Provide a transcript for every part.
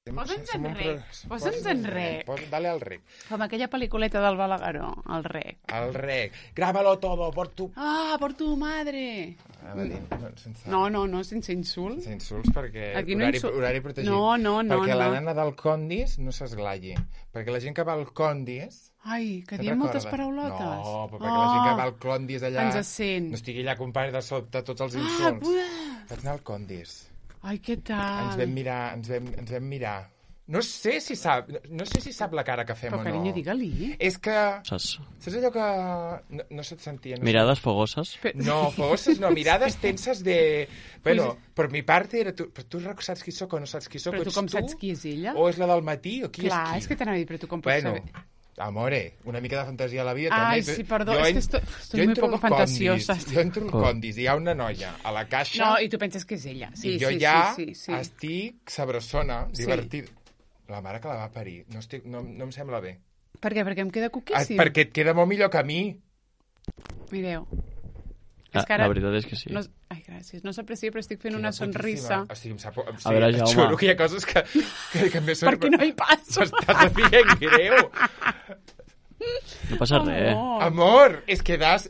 Posa'ns en rec. Dale al rec. Com aquella pel·lículeta del Balagueró, el rec. El rec. Grábalo todo por tu... Ah, por tu madre. No, sense insults. Sense insults perquè Aquí no horari protegit. No. Perquè la nana del Condis no s'esglaie. Perquè la gent que va al Condis... Ai, que diem moltes paraulotes. No, però perquè la gent que va al Condis allà... Ens sent. No estigui allà acompanyat de sobte tots els insults. Vaig anar al Condis. Ai, què tal? Ens vam mirar. No sé si sap la cara que fem o no. Però, carinyo, digue-li. És que... Saps allò que... No se't sentia. Mirades fogoses? No, fogoses no. Mirades tenses de... Bueno, per mi parte era... Però tu saps qui soc o no saps qui soc? Però tu com saps qui és ella? O és la del matí o qui és qui? Clar, és que t'anava a dir, però tu com pots saber? Amore, una mica de fantasia a la vida també. Ai, sí, perdó, és que estoy muy poco fantasiosa. Jo entro al Condis i hi ha una noia a la caixa... No, i tu penses que és ella. Sí, I jo estic sabrosona, divertida. La mare que la va parir. No em sembla bé. Per què? Perquè em queda cuquíssim? Perquè et queda molt millor que a mi. Mireu. La veritat és que sí. Ai, gràcies. No s'aprecia, però estic fent una sonrisa. A veure, Jaume. Juro que hi ha coses que m'he sorprès. Perquè no hi passo. M'estàs fent greu. No passa res. Amor, es que das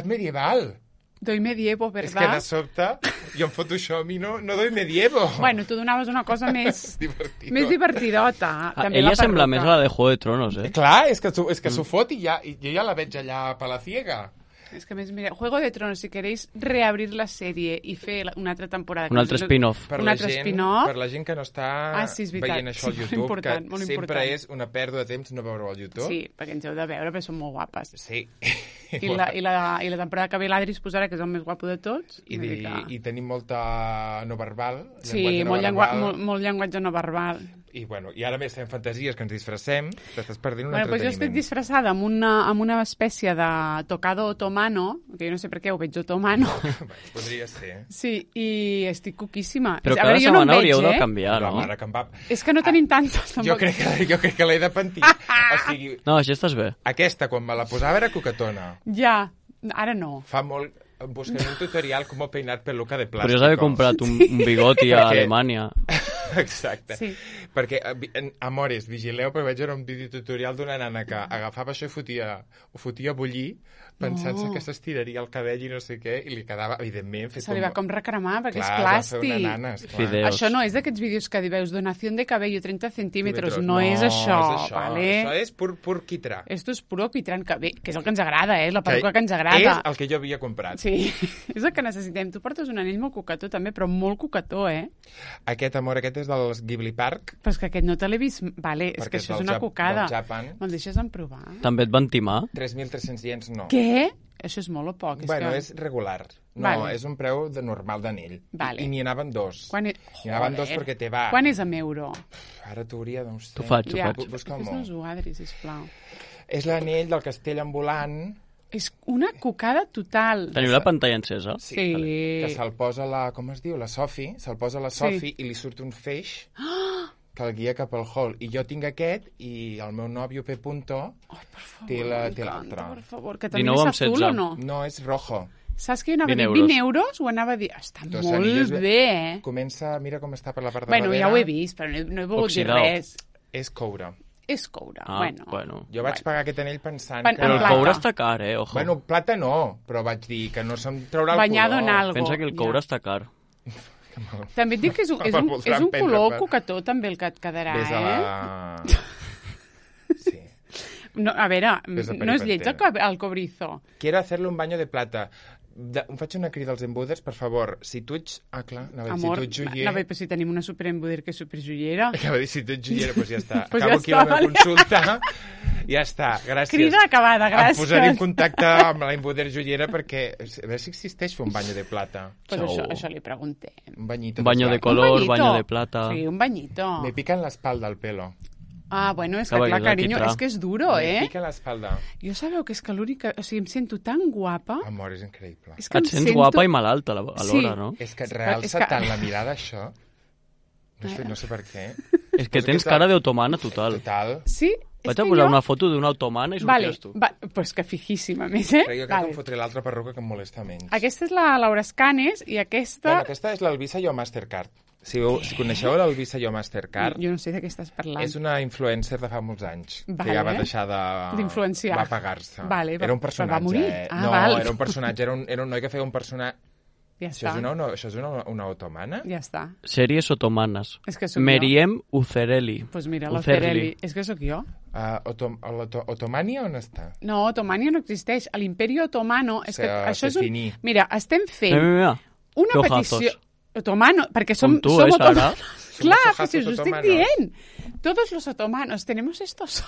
medieval. Doy medievo, ¿verdad? És que de sobte, jo en Photoshop i no doy medievo. Bueno, tu donaves una cosa més divertidota. Ella sembla més a la de Juego de Tronos, eh? Clar, és que s'ho fot i jo ja la veig allà a Palaciega. És que més, mira, Juego de Tronos, si queréis reabrir la sèrie i fer una altra temporada... Un altre spin-off. Per la gent que no està veient això al YouTube, que sempre és una pèrdua de temps no veure-ho al YouTube. Sí, perquè ens heu de veure, perquè són molt guapes. Sí. I la temporada que ve l'Adri es posarà, que és el més guapo de tots. I tenim molta no verbal. Sí, molt llenguatge no verbal. I ara més fem fantasies que ens disfressem, t'estàs perdent un entreteniment. Jo estic disfressada amb una espècie de tocado otomano, que jo no sé per què ho veig otomano. Podria ser. Sí, i estic cuquíssima. Però cada setmana hauríeu de canviar, no? La mare que em va... És que no tenim tantes, tampoc. Jo crec que l'he de pentir. No, així estàs bé. Aquesta, quan me la posava, era coquetona. Ja, ara no. Fa molt... Buscaré un tutorial com peinar peluca de plàstic. Podries haver comprat un bigoti a Alemanya. Exacte. Sí. Perquè, amores, vigileu, perquè vaig veure un videotutorial d'una nana que agafava això i ho fotia a bullir, pensant-se que s'estiraria el cabell i no sé què, i li quedava, evidentment... Se li va com recremar, perquè és plàstic. Clar, va fer una nana, esclar. Això no és d'aquests vídeos que veus donació de cabello 30 centímetres, no és això. Vale? Això és pur quitrà. Esto és puro quitrà, que és el que ens agrada, és la peluca que ens agrada. És el que jo havia comprat. Sí, és el que necessitem. Tu portes un anell molt cucató també, però molt cucató, eh? Aquest és dels Ghibli Park. Però és que aquest no te l'he vist... Vale, és que això és una cucada. Me'l deixes en provar? També et van timar? 3.300 iens, no. Què? Això és molt o poc? És regular. No, és un preu normal d'anell. I n'hi anaven dos. N'hi anaven dos perquè te va... Quan és amb euro? Ara t'hauria, doncs... T'ho faig. Fes-nos-ho, Adri, sisplau. És l'anell del castell ambulant. És una cucada total. Teniu la pantalla encesa? Sí. Que se'l posa com es diu? La Sophie. Se'l posa la Sophie i li surt un feix que el guia cap al hall. I jo tinc aquest i el meu nòvio P. té l'altre. Per favor, que també és azul o no? No, és rojo. Saps que jo anava a dir 20 euros? Ho anava a dir... Està molt bé, eh? Comença, mira com està per la part de darrere. Bueno, ja ho he vist, però no he volgut dir res. És coure. És coure, bueno. Jo vaig pagar aquest anell pensant que... Però el coure està car, ojo. Bueno, plata no, però vaig dir que no se'm traurà el color. Banyado en algo. Pensa que el coure està car. També et dic que és un color cucató també el que et quedarà, Sí. No, a veure, no és lleig el cobrizo. Quiero hacerle un baño de plata. Em faig una crida als embuders, per favor. Si tu ets... clar, si tu ets joier... Amor, però si tenim una superembuder que és superjoiera. Acaba de dir, si tu ets joiera, doncs ja està. Acabo aquí la meva consulta. Ja està, gràcies. Crida acabada, gràcies. Em posaré en contacte amb la embuder joiera perquè... A veure si existeix fer un bany de plata. Pues això li preguntem. Un banyito. Un baño de color, baño de plata... Sí, un bañito. Me pica en l'espalda el pelo. Ah, bueno, és que clar, carinyo, és que és duro, Me pica l'espalda. Jo sabeu que és que l'únic... O sigui, em sento tan guapa... Amor, és increïble. Et sents guapa i malalta alhora, no? És que et realça tant la mirada, això. No sé per què. És que tens cara d'automana total. Total. Sí? Vaig a posar una foto d'una automana i sortiràs tu. Pues que fijíssima, més, eh? Però jo crec que em fotré l'altra perruca que em molesta menys. Aquesta és la Laura Escanes i aquesta... Bueno, aquesta és l'Elvisa i el Mastercard. Si coneixeu l'Elvisa Yo Mastercard... Jo no sé de què estàs parlant. És una influencer de fa molts anys, que ja va deixar d'influenciar. Va apagar-se. Vale, era un personatge. Va morir? Era un personatge, era un noi que feia un personatge... Ja això és una otomana? Ja està. Sèries otomanes. És que sóc Meriem Ucerelli. Pues mira, l'Ucerelli. És que sóc jo. Otomània on està? No, Otomània no existeix. A l'Imperi Otomano... És que això és un... Mira, estem fent una petició... Otomano, perquè som otomanos. Clar, que si us ho estic dient. Todos los otomanos tenemos estos...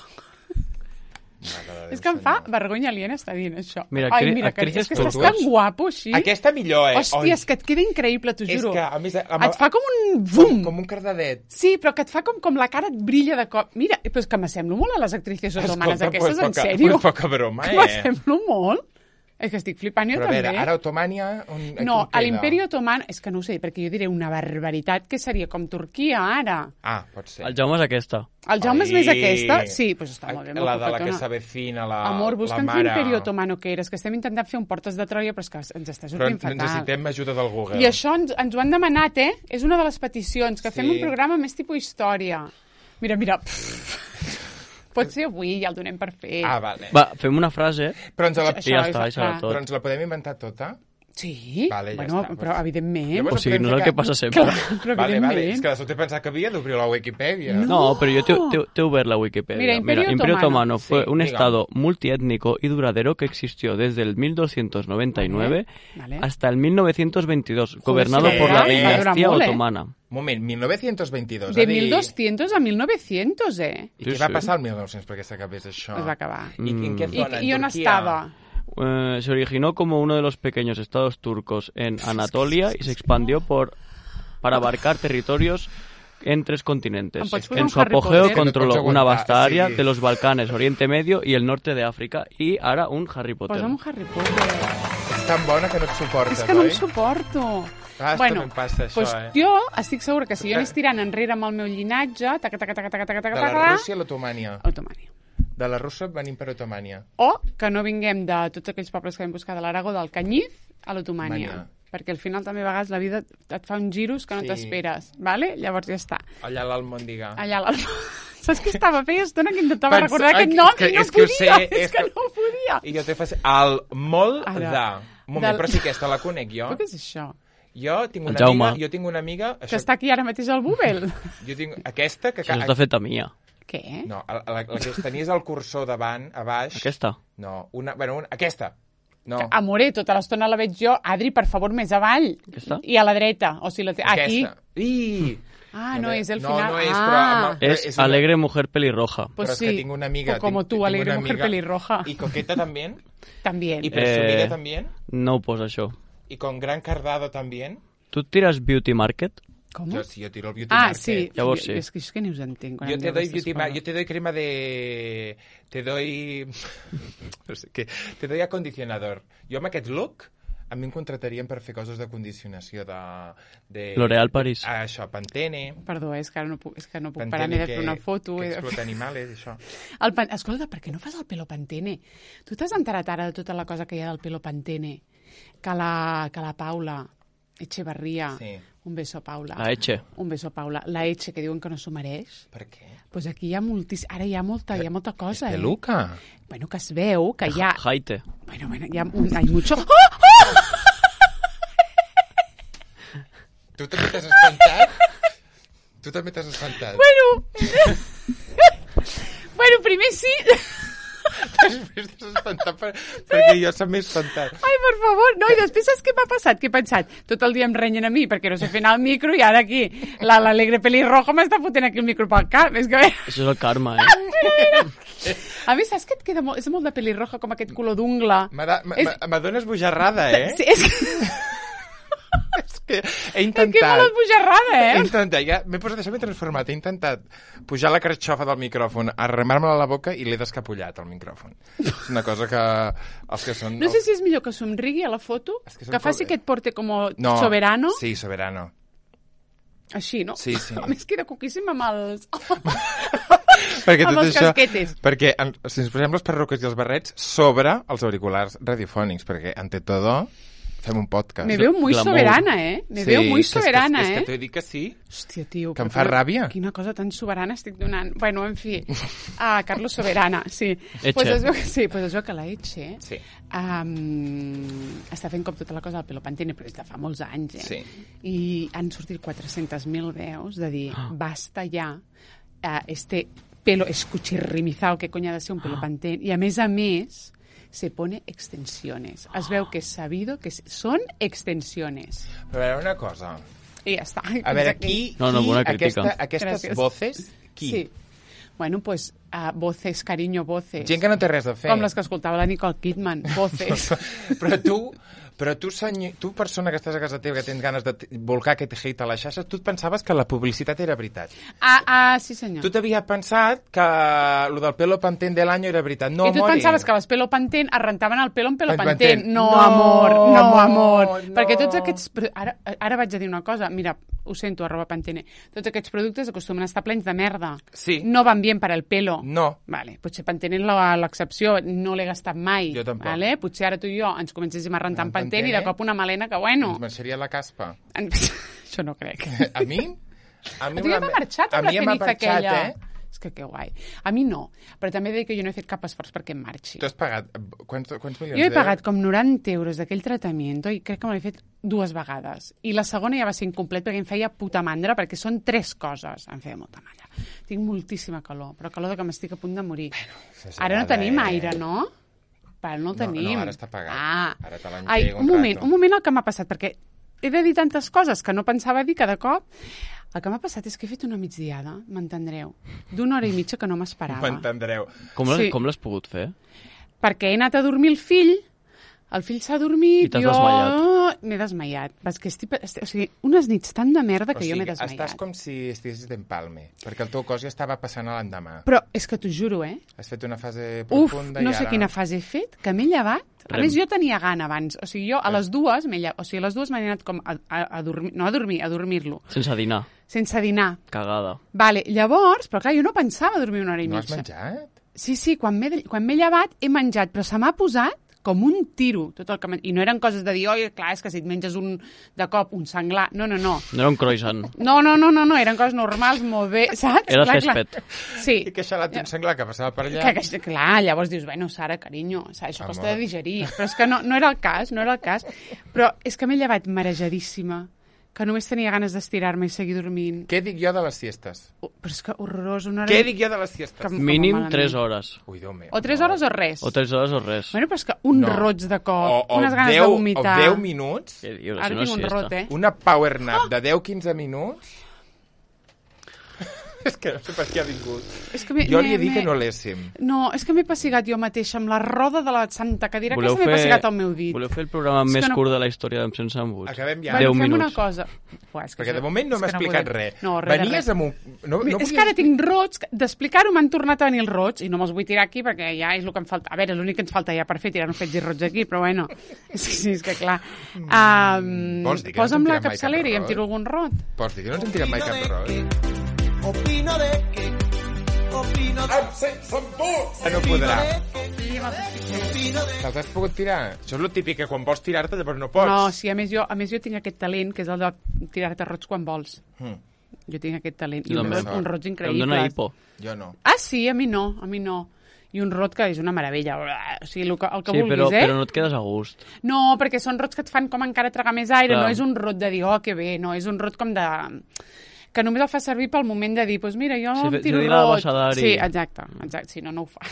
És que em fa vergonya aliena estar dient això. Mira, mira, que és que estàs tan guapo així. Aquesta millor, Hòstia, és que et queda increïble, t'ho juro. És que, a més... Et fa com un bum. Com un cardadet. Sí, però que et fa com la cara et brilla de cop. Mira, però és que m'assemblo molt a les actrices otomanes aquestes, en sèrio. Poca broma, M'assemblo molt. És que estic flipant jo també. Però a veure, ara Otomània... No, a l'Imperi Otomano... És que no ho sé, perquè jo diré una barbaritat que seria com Turquia, ara. Ah, pot ser. El Jaume és aquesta. El Jaume és més aquesta? Sí, doncs està molt bé. La de la que s'avecina, la mare... Amor, busca'ns l'Imperi Otomano que eres, que estem intentant fer un Portes de Troia, però és que ens està sortint fatal. Però necessitem ajuda del Google. I això ens ho han demanat, És una de les peticions, que fem un programa més tipus història. Mira... Pot ser avui, ja el donem per fet. Ah, vale. Va, fem una frase però ens la... i ja està, això tot. Però ens la podem inventar tota? Sí, vale, ja bueno, està. Però evidentment... O sigui, no és el que passa sempre. Clar, però evidentment. Vale, és que de sobte pensava que havia d'obrir la Wikipedia. No, pero yo te he obert la Wikipedia. Mira, Imperio Otomano fue un estado multiétnico y duradero que existió desde el 1299 hasta el 1922, gobernado por la dinastía otomana. Moment, 1922. De 1200 a 1900, I què va passar al 1900 perquè s'acabés això? Es va acabar. I en què zona? I on estava? Se originó como uno de los pequeños estados turcos en Anatolia y se expandió para abarcar territorios en 3 continentes. En su apogeo controló una vasta área de los Balcanes, Oriente Medio y el norte de África. Y ara un Harry Potter. Posa'm un Harry Potter. És tan bona que no et suportes, És que no em suporto. Bueno, passa, això, doncs jo estic segura que si jo anés tirant enrere amb el meu llinatge... De la Rússia a l'Otomània. Otomània. De la Rússia venim per Otomània. O que no vinguem de tots aquells pobles que vam buscar de l'Aragó, del Canyís, a l'Otomània. Perquè al final també a vegades la vida et fa uns giros que no t'esperes, vale? Llavors ja està. Allà a l'Almòndiga. Saps què estava? Feia estona que intentava recordar aquest nom i no podia. És que no podia. I jo t'he fet el molt de... Un moment, però si aquesta la conec jo. Però què és això? Jo tinc una amiga... Que està aquí ara mateix al Google. Jo tinc aquesta que... Això està feta mia. Què? No, la que tenies el cursor davant, a baix... Aquesta? No, aquesta. No. Amore, tota l'estona la veig jo. Adri, per favor, més avall. Aquesta? I a la dreta. O sigui, aquí. No és el final. No és, però... És Alegre Mujer Pelirroja. Pues però és que tinc una amiga... Com tu, Alegre Mujer Pelirroja. I Coqueta també. También. I Presumida també. No ho posa això. I con Gran Cardado també. Tu tires Beauty Market? ¿Cómo? Yo tiro el Beauty Market. Sí. Llavors sí. És que ni us entenc. Yo te doy Beauty Market, yo te doy crema de... Te doy... No sé què. Te doy acondicionador. Jo amb aquest look, a mi em contratarien per fer coses de condicionació de... L'Oréal Paris. Això, Pantene. Perdó, és que no puc parar ni de fer una foto. Que explota animales, això. Escolta, per què no fas el pelo Pantene? Tu t'has enterat ara de tota la cosa que hi ha del pelo Pantene? Que la Paula Echevarría... Sí. Un beso, Paula. La Eche. Un beso, Paula. La Eche, que diuen que no s'ho mereix. Per què? Pues aquí hi ha ara hi ha molta cosa, ¿De Luca? Bueno, que es veu que hi ha... Jaite. Bueno, hay mucho... Tu també t'has espantat? Tu també t'has espantat? Bueno, primer sí... Després t'has espantat perquè jo s'ha més espantat. Ai, per favor. No, i després saps què m'ha passat? Què he pensat? Tot el dia em renyen a mi perquè no sé fer anar el micro i ara aquí l'Alegre Pelirroja m'està fotent aquí el micro pel cap. És que... Això és el karma, A més, saps que et queda molt... És molt de pelirroja, com aquest color d'ungla. M'adones bojarrada, Sí, és que... És que he intentat... Que molt esbojarrada, He intentat, m'he posat això, m'he transformat. He intentat pujar la carxofa del micròfon, arremar-me-la a la boca i l'he descapullat, el micròfon. És una cosa que els que són... No sé si és millor que somrigui a la foto, que faci que et porte com soberano. Sí, soberano. Així, no? Sí. A més, queda coquíssim amb els... Perquè amb els casquetes. Perquè si ens posem les perruques i els barrets sobre els auriculars radiofònics, perquè ante todo... fem un podcast. Me veo muy soberana, Me veo muy soberana, és que t'he dit que sí. Hòstia, tio. Que em fa ràbia. Quina cosa tan soberana estic donant. Bueno, en fi. Carlos Soberana, sí. Etxe. Pues es veu que la Etxe Sí. està fent com tota la cosa del pelo pantene, però és de fa molts anys, Sí. I han sortit 400.000 veus de dir, basta ja, este pelo escuchirrimizado, que coño ha de ser un pelo pantene, i a més, se pone extensiones. Es veu que és sabido que són extensiones. Però a veure una cosa. I ja està. A veure, qui bona crítica. aquestes voces, qui? Sí. Bueno, pues, voces, cariño, voces. Gent que no té res a fer. Com les que escoltava la Nicole Kidman, voces. Però tu, persona que estàs a casa teva, que tens ganes de volcar aquest hate a les xarxes, tu et pensaves que la publicitat era veritat. Sí senyor. Tu t'havies pensat que lo del pelo pantén de l'any era veritat. No, I tu et pensaves que les pelo pantén es rentaven el pelo amb pelo Pantén. pantén. No, amor. Perquè tots aquests... Ara vaig a dir una cosa. Mira, ho sento, @pantene. Tots aquests productes acostumen a estar plens de merda. Sí. No van bien para el pelo. No. Vale, potser Pantene és l'excepció. No l'he gastat mai. Jo tampoc. Vale? Potser ara tu i jo ens comencéssim a rentar amb Pantene i de cop una melena que, bueno... Ens marxaria la caspa. Això no crec. A mi? A tu ja t'ha marxat amb la ceniza aquella. És que guai. A mi no, però també he de dir que jo no he fet cap esforç perquè em marxi. Tu has pagat quants milions Jo he pagat com 90 euros d'aquell tractament i crec que me l'he fet 2 vegades. I la segona ja va ser incomplet perquè em feia puta mandra, perquè són 3 coses. Em feia molta mandra. Tinc moltíssima calor, però calor de que m'estic a punt de morir. Ara no tenim aire, no? Però no el tenim. No, ara està pagat. Ara te l'engego un moment el que m'ha passat, perquè he de dir tantes coses que no pensava dir cada cop. El que m'ha passat és que he fet una migdiada, m'entendreu, d'1 hora i mitja que no m'esperava. M'entendreu. Com l'has pogut fer? Perquè he anat a dormir el fill s'ha dormit, I t'has desmaiat. M'he desmaiat. O sigui, unes nits tan de merda que jo m'he desmaiat. Estàs com si estiguessis d'empalme, perquè el teu cos ja estava passant a l'endemà. Però és que t'ho juro, Has fet una fase profunda no sé quina fase he fet, que m'he llevat. A més, jo tenia gana abans. O sigui, jo a les 2 m'he anat com a dormir, no a dormir, a dormir-lo. Sense dinar. Sense dinar. Cagada. Vale, llavors, però clar, jo no pensava dormir 1 hora i mitja. No has menjat? Sí, quan m'he llevat he menjat, però se m'ha posat com un tiro, tot el que... I no eren coses de dir, oi, clar, és que si et menges de cop un senglar... No. No era un croissant. No, eren coses normals, molt bé, saps? Era césped. Sí. I que xalat un senglar que passava per allà. Clar, llavors dius, bueno, Sara, carinyo, això costa de digerir. Però és que no era el cas. Però és que m'he llevat marejadíssima, que només tenia ganes d'estirar-me i seguir dormint. Què dic jo de les siestes? Però és que horrorós. Què dic jo de les siestes? Mínim 3 hores. Ui, Déu meu. O 3 hores o res. O 3 hores o res. Bueno, però és que un roig de cop, unes ganes de vomitar... O 10 minuts. Ara tinc un rot, Una power nap de 10-15 minuts. És que no sé per què ha vingut. Jo li he dit que no l'éssim. No, és que m'he pessigat jo mateixa amb la roda de la santa cadira que m'he pessigat al meu dit. Voleu fer el programa més curt de la història d'Em Sense Embuts? Acabem ja. 10 minuts. Fem una cosa. Perquè de moment no m'ha explicat res. Venies amb un... És que ara tinc roig, d'explicar-ho m'han tornat a venir els roig i no me'ls vull tirar aquí perquè ja és el que em falta. A veure, l'únic que ens falta ja per fer tirar-nos fets i roig aquí, però bueno. Sí, és que clar. Posa'm la capçalera i em tiro algun rot. Pots dir que no ens en tirem mai cap rot? Opino de que... Em sense embuts! No podrà. Te'ls has pogut tirar? Això és el típic, que quan vols tirar-te llavors no pots. No, sí, a més jo tinc aquest talent, que és el de tirar-te roig quan vols. Jo tinc aquest talent. I un roig increïble. Em dóna hipo. Jo no. Sí, a mi no. I un rot que és una meravella. O sigui, el que vulguis, però no et quedes a gust. No, perquè són rots que et fan com encara tragar més aire. No és un rot de dir, que bé. No, és un rot com de... que només el fa servir pel moment de dir, doncs mira, jo em tiro roig. Sí, exacte, si no ho fa.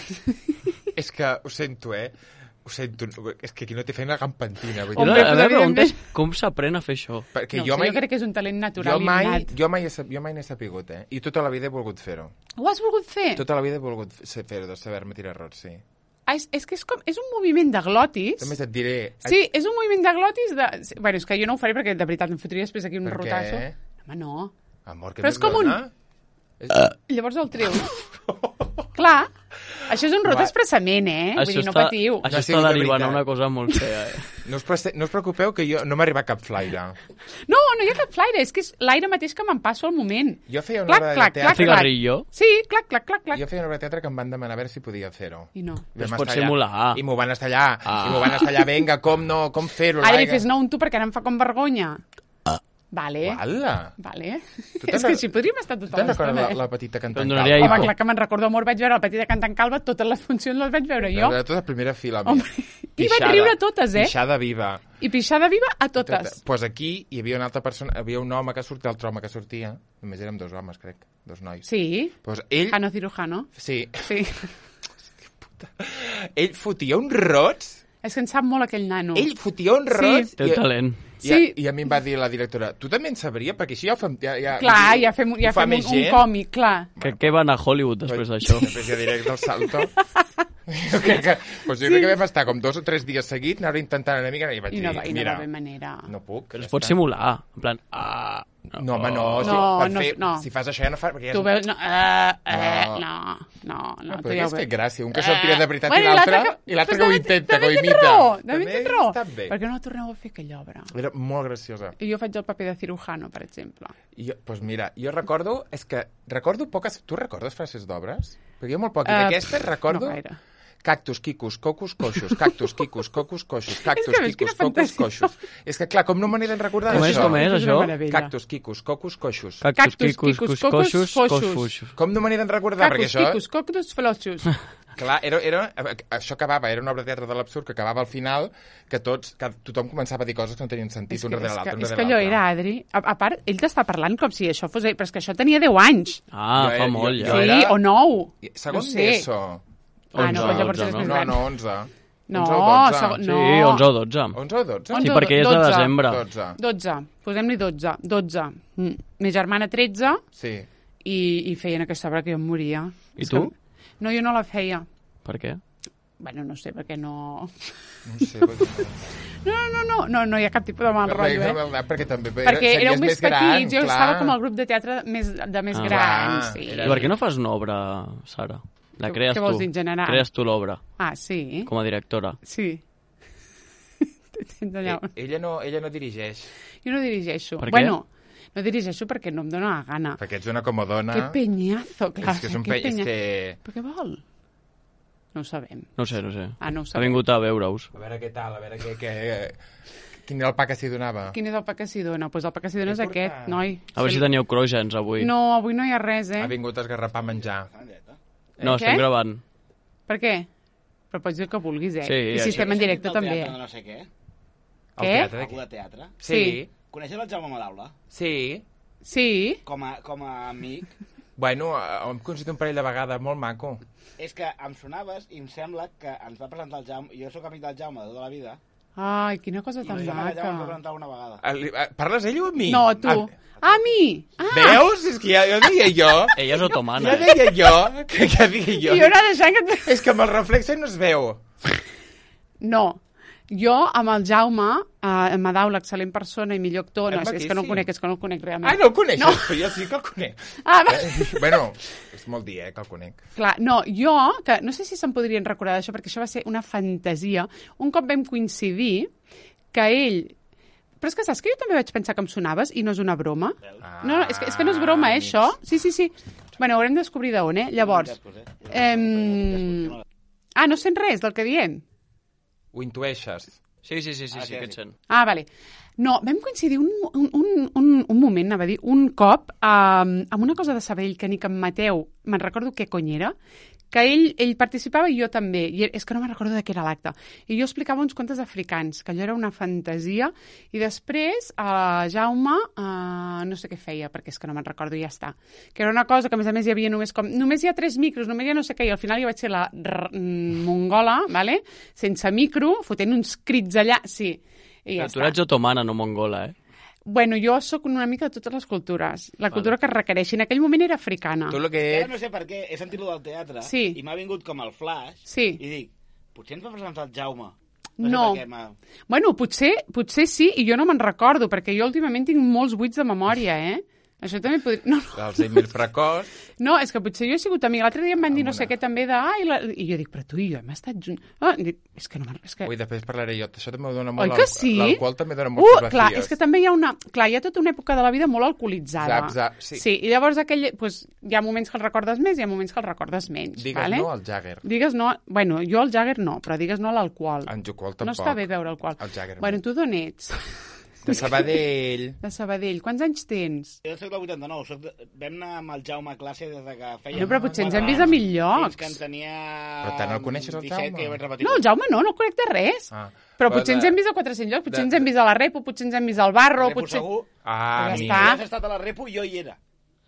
És que ho sento, ho sento, és que aquí no té feina gampantina. La meva pregunta és com s'aprèn a fer això? Jo crec que és un talent natural innat. Jo mai n'he sapigut, i tota la vida he volgut fer-ho. Ho has volgut fer? Tota la vida he volgut fer-ho, de saber-me tirar rots, sí. És que és un moviment de glotis. Només et diré... Sí, és un moviment de glotis de... Bueno, és que jo no ho faré perquè de veritat em fotria després aquí un rotasso. Home, no. Amor, però és com un... Llavors el treus. Clar, Això és un rot expressament, Vull dir, no patiu. Això està derivant a una cosa molt fea, No us preocupeu que jo no m'arriba cap flaire. No hi ha cap flaire, és que és l'aire mateix que me'n passo al moment. Jo feia una obra de teatre... Cigarrillo? Sí, clac. Jo feia una obra de teatre que em van demanar a veure si podia fer-ho. I no. Es pot simular. I m'ho van estar allà. Vinga, com fer-ho? Ara li fes no un tu perquè ara em fa com vergonya. Vale. Vale. És que així podríem estar tota l'estona. Te'n recordes la petita cantant calva? Home, clar que me'n recordo molt. Vaig veure la petita cantant calva, totes les funcions les vaig veure jo. De tota la primera fila. I vaig riure totes, Pixada viva. I pixada viva a totes. Doncs aquí hi havia una altra persona, hi havia un home que sortia, l'altre home que sortia. Només érem 2 homes, crec. 2 nois. Sí. Pues ell... Jano Cirujano. Sí. Puta. Ell fotia uns rots. És que en sap molt aquell nano. Ell fotia uns rots. Té talent. Sí. I a mi em va dir la directora, tu també en sabria? Perquè així ja ho fem... Clar, ja fem un còmic, clar. Què van a Hollywood després d'això? Després ja diré del salto. Jo crec que vam estar com 2 o 3 dies seguits, anar intentant una mica, i vaig dir, mira... I no va haver manera. No puc. Però es pot simular, en plan... No, home, no. Si fas això ja no fa... Tu veus... No. Tu ja has fet gràcia. Un que sortirà de veritat i l'altre que ho intenta, que ho imita. També té raó. Per què no torneu a fer aquella obra? Era molt graciosa. I jo faig el paper de cirujano, per exemple. Doncs mira, jo recordo poques... Tu recordes frases d'obres? Perquè jo molt poc. I d'aquestes recordo... No gaire. Cactus, quicus, cocus, coixos. Cactus, quicus, cocus, coixos. Cactus, quicus, cocus, coixos. És que, clar, com no me n'he de recordar això? Com és, això? Cactus, quicus, cocus, coixos. Cactus, quicus, coixos, coixos. Com no me n'he de recordar? Cactus, quicus, cocus, faloixos. Clar, això acabava, era una obra de teatre de l'absurd que acabava al final, que tothom començava a dir coses que no tenien sentit un darrere l'altre. És que allò era, Adri, a part, ell t'està parlant com si això fos... Però és que això tenia 10 anys. Fa molt, ja. Sí, o 9. Segon d'ESO. 11, no, 11. No, 11 o 12. Sí, 11 o 12. 11 o 12? Sí, perquè és de desembre. 12. Posem-li 12. Ma germana 13. Sí. I feien aquesta obra que jo em moria. I tu? No, jo no la feia. Per què? Bueno, no sé, perquè no... No sé, perquè No hi ha cap tipus de mal rotllo, Perquè també perquè éreu més petits, jo clar. estava com al grup de teatre de més grans. Sí. I per què no fas una obra, Sara? La crees tu. Què vols dir en general? Crees tu l'obra. Ah, sí? Com a directora. Sí. Ella no dirigeix. Jo no dirigeixo. Per què? Bueno, no dirigeixo perquè no em dóna la gana. Perquè ets una comodona. Que peñazo, clar. És que és un peñazo. Però què vol? No ho sabem. No sé. Ah, no ho sabem. Ha vingut a veure-us. A veure què tal, a veure quin era el pa que s'hi donava. Quin és el pa que s'hi dona? Doncs el pa que s'hi dona és aquest, noi. A veure si teníeu crògens avui. No, avui no hi ha res, Ha vingut a esgarrapar menjar. No, estem gravant. Per què? Però pots dir el que vulguis, Sí, i si estem en directe també. No sé què. Què? Algú de teatre? Sí. Coneixes el Jaume Madaula? Sí. Sí? Com a amic? Bueno, hem coincidit un parell de vegades, molt maco. És que em sonaves i em sembla que ens va presentar el Jaume, jo sóc amic del Jaume de tota la vida. Ai, quina cosa tan maca. I em va presentar una vegada. Parles ell o a mi? No, a tu. A mi! Veus? És que ja deia jo. Ella és otomana. Ja deia jo. Que ja deia jo. I jo no deixant que... És que amb el reflexe no es veu. No. Jo, amb el Jaume, Madaula, excel·lent persona i millor actor, no, és que no el conec realment. Ah, no el coneixes? No. Però jo sí que el conec. Bueno, és molt dir, que el conec. Clar, no, jo, que no sé si se'n podrien recordar d'això, perquè això va ser una fantasia. Un cop vam coincidir que ell... Però és que saps que jo també vaig pensar que em sonaves i no és una broma? No, és que no és broma, això? Sí. Bueno, haurem de descobrir d'on, Llavors... no sent res del que diem? Ho intueixes? Sí, que et sent. Ah, vale. No, vam coincidir un moment, anava a dir, un cop, amb una cosa de Sabadell que ni que en Mateu, me'n recordo què cony era, que ell participava i jo també, i és que no me'n recordo de què era l'acte. I jo explicava uns contes africans, que allò era una fantasia, i després Jaume, no sé què feia, perquè és que no me'n recordo i ja està. Que era una cosa que, a més hi havia només hi ha 3 micros, només hi ha no sé què, i al final jo vaig ser la mongola, vale? Sense micro, fotent uns crits allà, sí. I ja tu ets otomana, no mongola, Bueno, jo sóc una mica de totes les cultures. La cultura que es requereixi. En aquell moment era africana. Tu el que ets... No sé per què, he sentit-lo del teatre sí. I m'ha vingut com el flash sí. I dic, potser ens va presentar el Jaume. No. Bueno, potser sí, i jo no me'n recordo, perquè jo últimament tinc molts buits de memòria, Això també podria... No. L'Alzheimer precoç. No, és que potser jo he sigut amiga. L'altre dia em van dir no sé què també de... I jo dic, però tu i jo hem estat junts. És que no... Ui, després parlaré jo. Això també dona molt... Oi que sí? L'alcohol també dona moltes baties. Clar, és que també hi ha una... Clar, hi ha tota una època de la vida molt alcoholitzada. Zap, sí. Sí, i llavors hi ha moments que els recordes més i hi ha moments que els recordes menys. Digues no al Jagger. Digues no... Bueno, jo al Jagger no, però digues no a l'alcohol. En Jucol tampoc. No està bé beure alcohol. El Jagger. Bueno, tu d'on ets? De Sabadell. De Sabadell. Quants anys tens? Jo soc del 89. Vam anar amb el Jaume a classe des de que feia... No, però potser ens hem vist a mil llocs. Fins que en tenia... Però tant el coneixes, el Jaume? No, el Jaume no el conec de res. Però potser ens hem vist a 400 llocs, potser ens hem vist a la Repo, potser ens hem vist al Barro, potser... Segur. Ah, ja està. Si has estat a la Repo, jo hi era.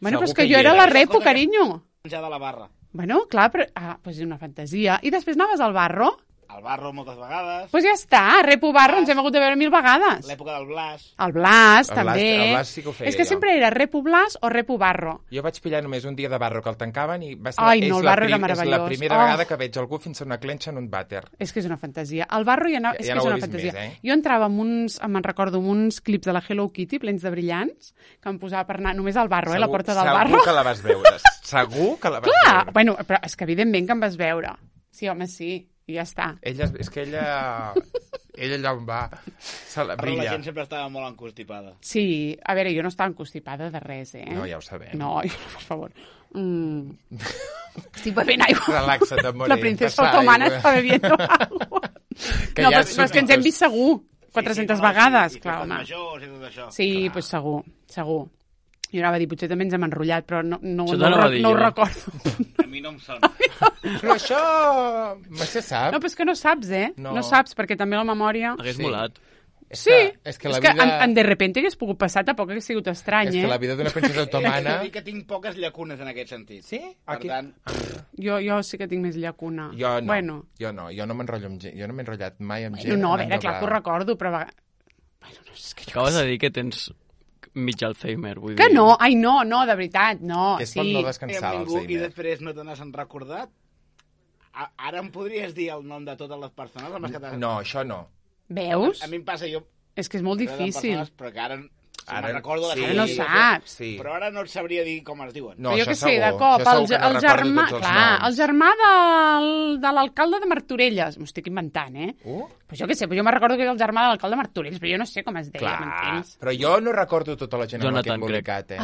Bueno, però és que jo era a la Repo, carinyo. Ja de la barra. Bueno, clar, però... Ah, doncs és una fantasia. I després anaves al Barro? Al Barro moltes vegades. Doncs ja està, Repo Barro ens hem hagut de veure 1000 vegades. L'època del Blas. El Blas, també. El Blas sí que ho feia. És que sempre era Repo Blas o Repo Barro. Jo vaig pillar només un dia de Barro que el tancaven i va ser... Ai, no, el Barro era meravellós. És la primera vegada que veig algú fins a una clenxa en un vàter. És que és una fantasia. El Barro ja és que és una fantasia. Més, Jo entrava amb uns, me'n recordo, amb uns clips de la Hello Kitty plens de brillants que em posava per anar només al Barro, la porta del Barro. Segur que la vas veure. Segur que la vas veure. Clar, bueno, però és que evidentment que em vas veure. Sí, home, sí. I ja està. És que ella allà on va se la brilla. Però la gent sempre estava molt encostipada. Sí, a veure, jo no estava encostipada de res, No, ja ho sabem. No, per favor. Estic bevent aigua. Relaxa't, amore. La princesa otomana està bebiendo agua. No, però és que ens hem vist segur 400 vegades, clar, home. Sí, doncs segur. Jo anava a dir, potser també ens hem enrotllat, però no ho recordo. A mi no em sona. Però això... se sap. No, però és que no saps, No saps, perquè també la memòria... Hagués molat. Sí, és que de repente hagués pogut passar, tampoc hagués sigut estrany, És que la vida d'una princesa otomana... He de dir que tinc poques llacunes en aquest sentit. Sí? Per tant... Jo sí que tinc més llacuna. Jo no, bueno. jo no m'enrotllo amb gent, jo no m'he enrotllat mai amb gent. No, a veure, clar que ho recordo, però... Bueno, no sé, és que acabes de dir que tens mig Alzheimer, vull dir... Que no, no, de veritat, no. És per no descansar l'Alzheimer. I després no te n'has recordat? Ara em podries dir el nom de totes les persones amb les que t'has... No, això no. Veus? A mi em passa, jo... És que és molt difícil. Però que ara recordo sí, no saps. Sí. Però ara no et sabria dir com es diuen. No, jo que sé, de cop, el germà de l'alcalde de Martorelles. M'ho estic inventant, Pues jo què sé, jo me'n recordo que era el germà de l'alcalde de Martorelles, però jo no sé com es deia, m'entens? Però jo no recordo tota la gent amb la que he embolicat,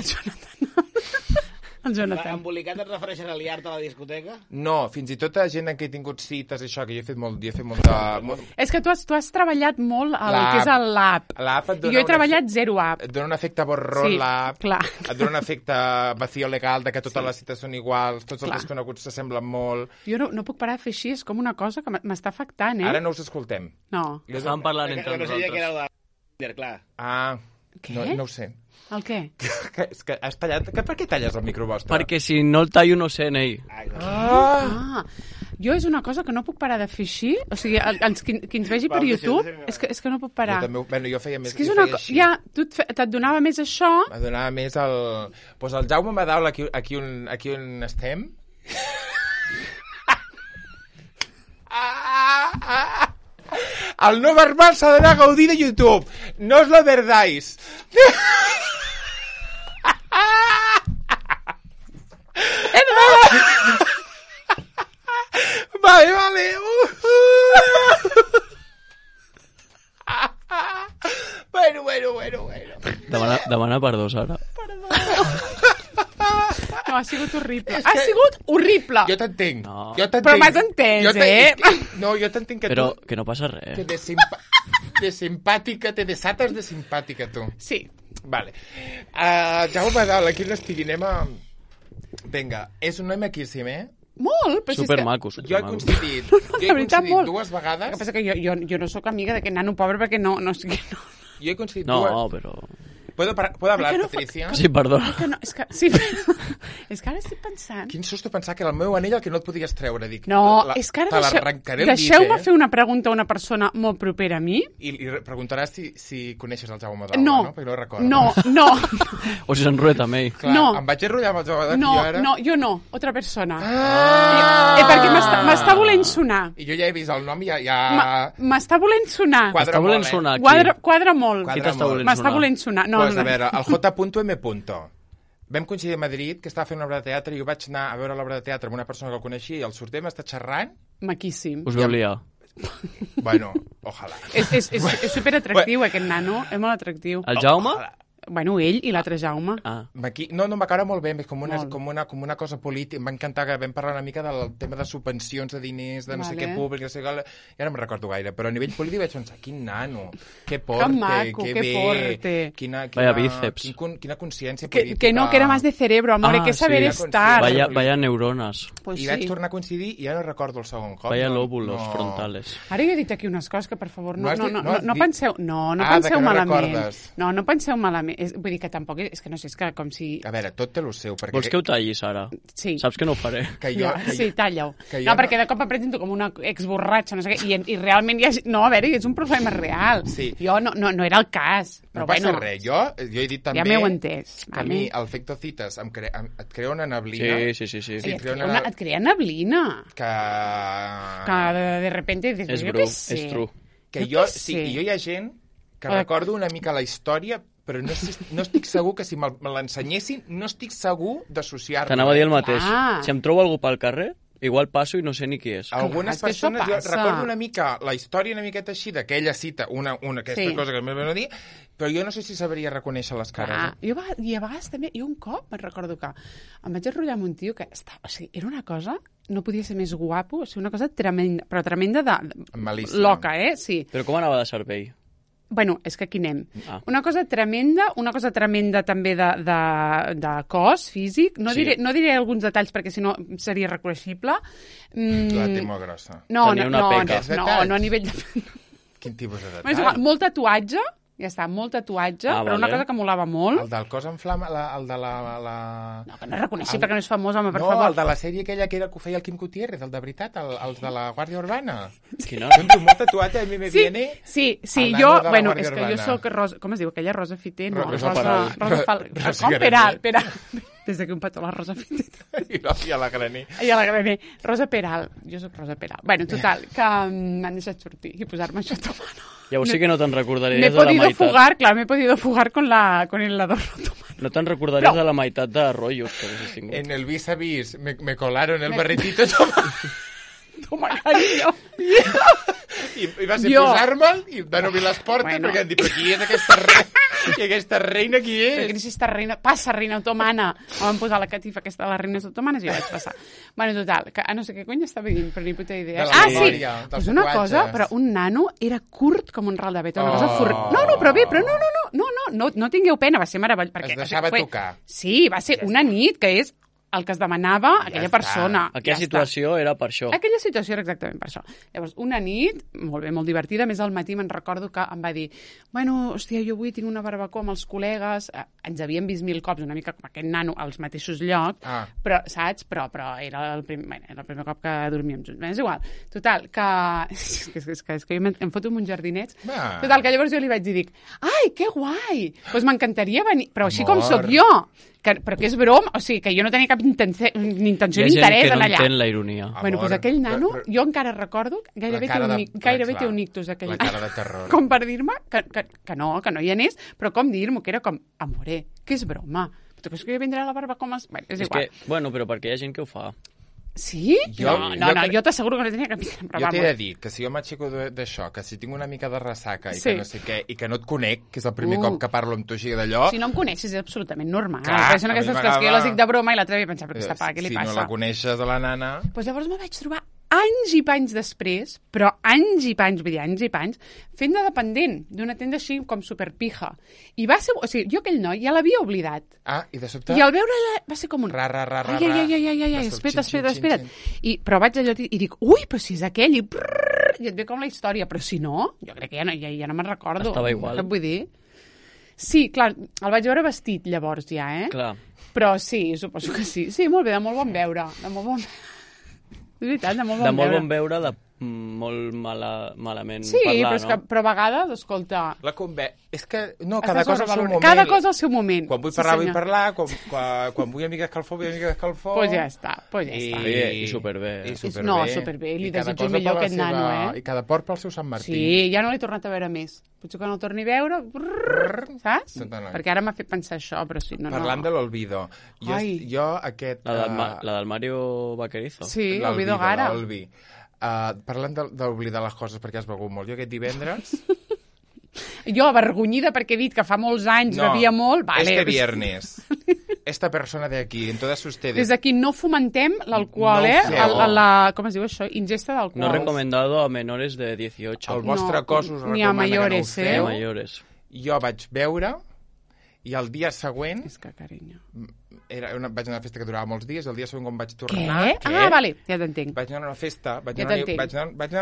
El Jonathan. Embolicat et refereixes a liar-te a la discoteca? No, fins i tot a gent en què he tingut cites, això, que jo he fet molta... És que tu has treballat molt el que és l'app. I jo he treballat zero app. Et dona un efecte borrón, l'app. Et dona un efecte vacío legal, de que totes les cites són iguals, tots els desconeguts s'assemblen molt. Jo no puc parar de fer així, és com una cosa que m'està afectant, Ara no us escoltem. No. Estàvem parlant entre nosaltres. No sabia que era el de... clar. Ah, què? No ho sé. El què? És que has tallat... Per què talles el micro vostre? Perquè si no el tallo no sé, Ney. Jo és una cosa que no puc parar de fer així. O sigui, qui ens vegi per YouTube, és que no puc parar. Jo també, bueno, jo feia més, jo feia així. Ja, et donava més això. Em donava més el... Pues el Jaume Madaula, aquí on estem... El no verbal s'ha d'anar a gaudir de YouTube. No os lo perdáis. Vale. Bueno. Demana perdó, Sara. No, ha sigut horrible. Ha sigut horrible. Jo t'entenc. No. Però m'has entès, No, jo t'entenc que però tu... que no passa res. Que de simpàtica, te desates de simpàtica, tu. Sí. Vale. Jaume Badal, aquí on estigui, anem a... Vinga, és un noi maquíssim, Molt, però supermaco. Jo he coincidit dues vegades. El que passa que jo no sóc amiga d'aquest nano pobre perquè no... Jo he coincidit dues... No, però... ¿Puedo hablar, Patricia? Sí, perdona. És que ara estic pensant... Quin susto pensar que era el meu anell el que no et podies treure. Dic, no, és que ara deixeu-me fer una pregunta a una persona molt propera a mi. I preguntaràs si coneixes el Jaume Madaula, no? Perquè no recordo. No. O si s'enrolla també. Clar, em vaig enrotllar amb el Jaume Madaula. No, jo no. Otra persona. Perquè m'està volent sonar. I jo ja he vist el nom i ja... M'està volent sonar. M'està volent sonar, Quadra molt. Qui t'està volent sonar? M'està volent sonar. Pues a veure, el J.M. vam coincidir a Madrid, que estava fent una obra de teatre, i jo vaig anar a veure l'obra de teatre amb una persona que el coneixia, i al sortir m'està xerrant... Maquíssim. Us veu liar. Bueno, ojalà. És superatractiu, aquest nano, és molt atractiu. El Jaume? Bueno, ell i l'altre Jaume. No, em va caure molt bé, és com una cosa política. Em va encantar que vam parlar una mica del tema de subvencions, de diners, de no sé què públic, no sé què, ja no me'n recordo gaire, però a nivell polític vaig pensar, quin nano, que porte, que maco, que bé, porte. Vaya bíceps. Quina consciència política. Que no, que era más de cerebro, amor, que saber estar. Vaya neurones. I vaig tornar a coincidir i ja no recordo el segon cop. Vaya lóbulos frontales. Ara jo he dit aquí unes coses que, per favor, no penseu malament. No penseu malament. Vull dir que tampoc és que no sé, és que com si... A veure, tot té el seu. Perquè... Vols que ho tallis, ara? Sí. Saps que no ho faré? Sí, talla-ho. No, perquè de cop em presento com una exborratxa, no sé què, i realment hi ha... No, a veure, és un problema real. Sí. Jo no era el cas. Però no passa res. Jo he dit també... Ja m'heu entès. Que a mi el Fectocitas et crea una neblina. Sí. Et crea neblina. Que de repente... És bru, és true. Que jo hi ha gent que recordo una mica la història, però no estic segur que si me l'ensenyessin, no estic segur d'associar-lo. T'anava a dir el mateix. Si em trobo algú pel carrer, igual passo i no sé ni qui és. Algunes persones, jo recordo una mica la història una miqueta així d'aquella cita, aquesta cosa que m'he de dir, però jo no sé si sabria reconèixer les cares. I a vegades també, un cop me'n recordo que em vaig enrotllar amb un tio que era una cosa, no podia ser més guapo, una cosa tremenda, però tremenda de loca, Sí. Però com anava de cervell? Bueno, és que aquí anem. Una cosa tremenda també de cos físic. No diré alguns detalls perquè si no seria reconeixible. La té molt grossa. No, a nivell de... Quin tipus de detall? És igual, molt tatuatge, ja està, molt tatuatge, però una cosa que molava molt. El del cos en flama, el de la... No, que no és reconeixible, que no és famós, home, per favor. No, el de la sèrie aquella que feia el Quim Gutiérrez, el de veritat, els de la Guàrdia Urbana. Quina? Molt tatuat, a mi me viene... Sí, jo, bueno, és que jo soc Rosa... Com es diu aquella? Rosa Fiter? No, Rosa Peral. Com? Peral. Des d'aquí un petó la Rosa Fiter. I a la Graner. Rosa Peral. Jo soc Rosa Peral. Bueno, total, que m'han deixat sortir i posar-me això a tomar. Llavors sí que no te'n recordaries de la meitat. Me he podido fugar con el adorno otomano. No te'n recordaries de la meitat de rotllos que haguessis tingut. En el vis a vis me colaron el barretito Toma, cariño. I va ser posar-me'l i van obrir les portes perquè han dit, però qui és aquesta reina? I aquesta reina qui és? Perquè no sé esta reina... Passa, reina otomana. Em van posar la catifa aquesta de les reines otomanes i jo vaig passar. Bueno, total, que no sé què cony estava dient, però ni puta idea. Sí! Pues una cosa, però un nano era curt com un ral de beta. Una cosa no tingueu pena, va ser meravellós. Es deixava tocar. Sí, va ser una nit que és el que es demanava aquella persona. Aquella situació era per això. Aquella situació era exactament per això. Llavors, una nit, molt bé, molt divertida, més al matí me'n recordo que em va dir, bueno, hòstia, jo avui tinc una barbacoa amb els col·legues, ens havíem vist 1000 cops, una mica com aquest nano, als mateixos llocs, però, saps? Però era el primer cop que dormíem junts. És igual. Total, que... És que jo em foto amb uns jardinets. Total, que llavors jo li vaig dir, ai, que guai! Doncs m'encantaria venir, però així com sóc jo. Però que és broma, o sigui, que jo no tenia cap intenció ni interès en allà. Hi ha gent que no entén la ironia. Bueno, doncs aquell nano, jo encara recordo, gairebé té un ictus aquell. La cara de terror. Com per dir-me que no hi anés, però com dir-m'ho, que era com, amore, que és broma. Tu creus que jo vindré a la barba com... Bueno, és igual. Bueno, però perquè hi ha gent que ho fa. Sí? Jo t'asseguro que no tenia cap idea. Jo t'he de dir que si jo m'aixeco d'això, que si tinc una mica de ressaca i que no sé què, i que no et conec, que és el primer cop que parlo amb tu així d'allò... Si no em coneixes és absolutament normal. Clar, són aquestes coses que jo les dic de broma i l'altre dia pensava, però aquesta paga, què li passa? Si no la coneixes a la nana... Doncs llavors me vaig trobar anys i panys després, però anys i panys, vull dir, anys i panys, fent de dependent d'una tenda així com superpija. I va ser... O sigui, jo aquell noi ja l'havia oblidat. I de sobte... I al veure va ser com un... Ai, espera't. Però vaig allò i dic, ui, però si és aquell, i et ve com la història, però si no, jo crec que ja no me'n recordo. Estava igual. Què vull dir? Sí, clar, el vaig veure vestit llavors ja, Clar. Però sí, suposo que sí. Sí, molt bé, de molt bon veure. De molt bon... És veritat, de molt bon veure. De molt bon veure, de molt malament sí, parlar, però a vegades, escolta... És que, no, cada cosa al seu moment. Cada cosa al seu moment. Quan vull parlar, vull parlar, quan vull una mica d'escalfor, vull una mica d'escalfor... Pues ja està. I superbé. No, superbé, li desitjo millor aquest nano, I cada port pel seu Sant Martí. Sí, ja no l'he tornat a veure més. Potser que no el torni a veure, saps? Perquè ara m'ha fet pensar això, però sí, no. Parlant de l'Olvido, jo aquest... La del Mario Vaquerizo. Sí, l'Olvido Gara. Parlant d'oblidar les coses perquè has begut molt, jo aquest divendres... Jo, avergonyida perquè he dit que fa molts anys bevia molt... Vale. Este viernes, esta persona de aquí, en todas ustedes... Des d'aquí no fomentem l'alcohol, com es diu això? Ingesta d'alcohol. No recomendado a menores de 18. El vostre cos us ni a mayores, que no ho feu. Jo vaig beure i el dia següent... És que, carinyo... vaig anar a una festa que durava molts dies, el dia següent quan vaig tornar... Què? Vale, ja t'entenc. Vaig anar a una festa, vaig anar a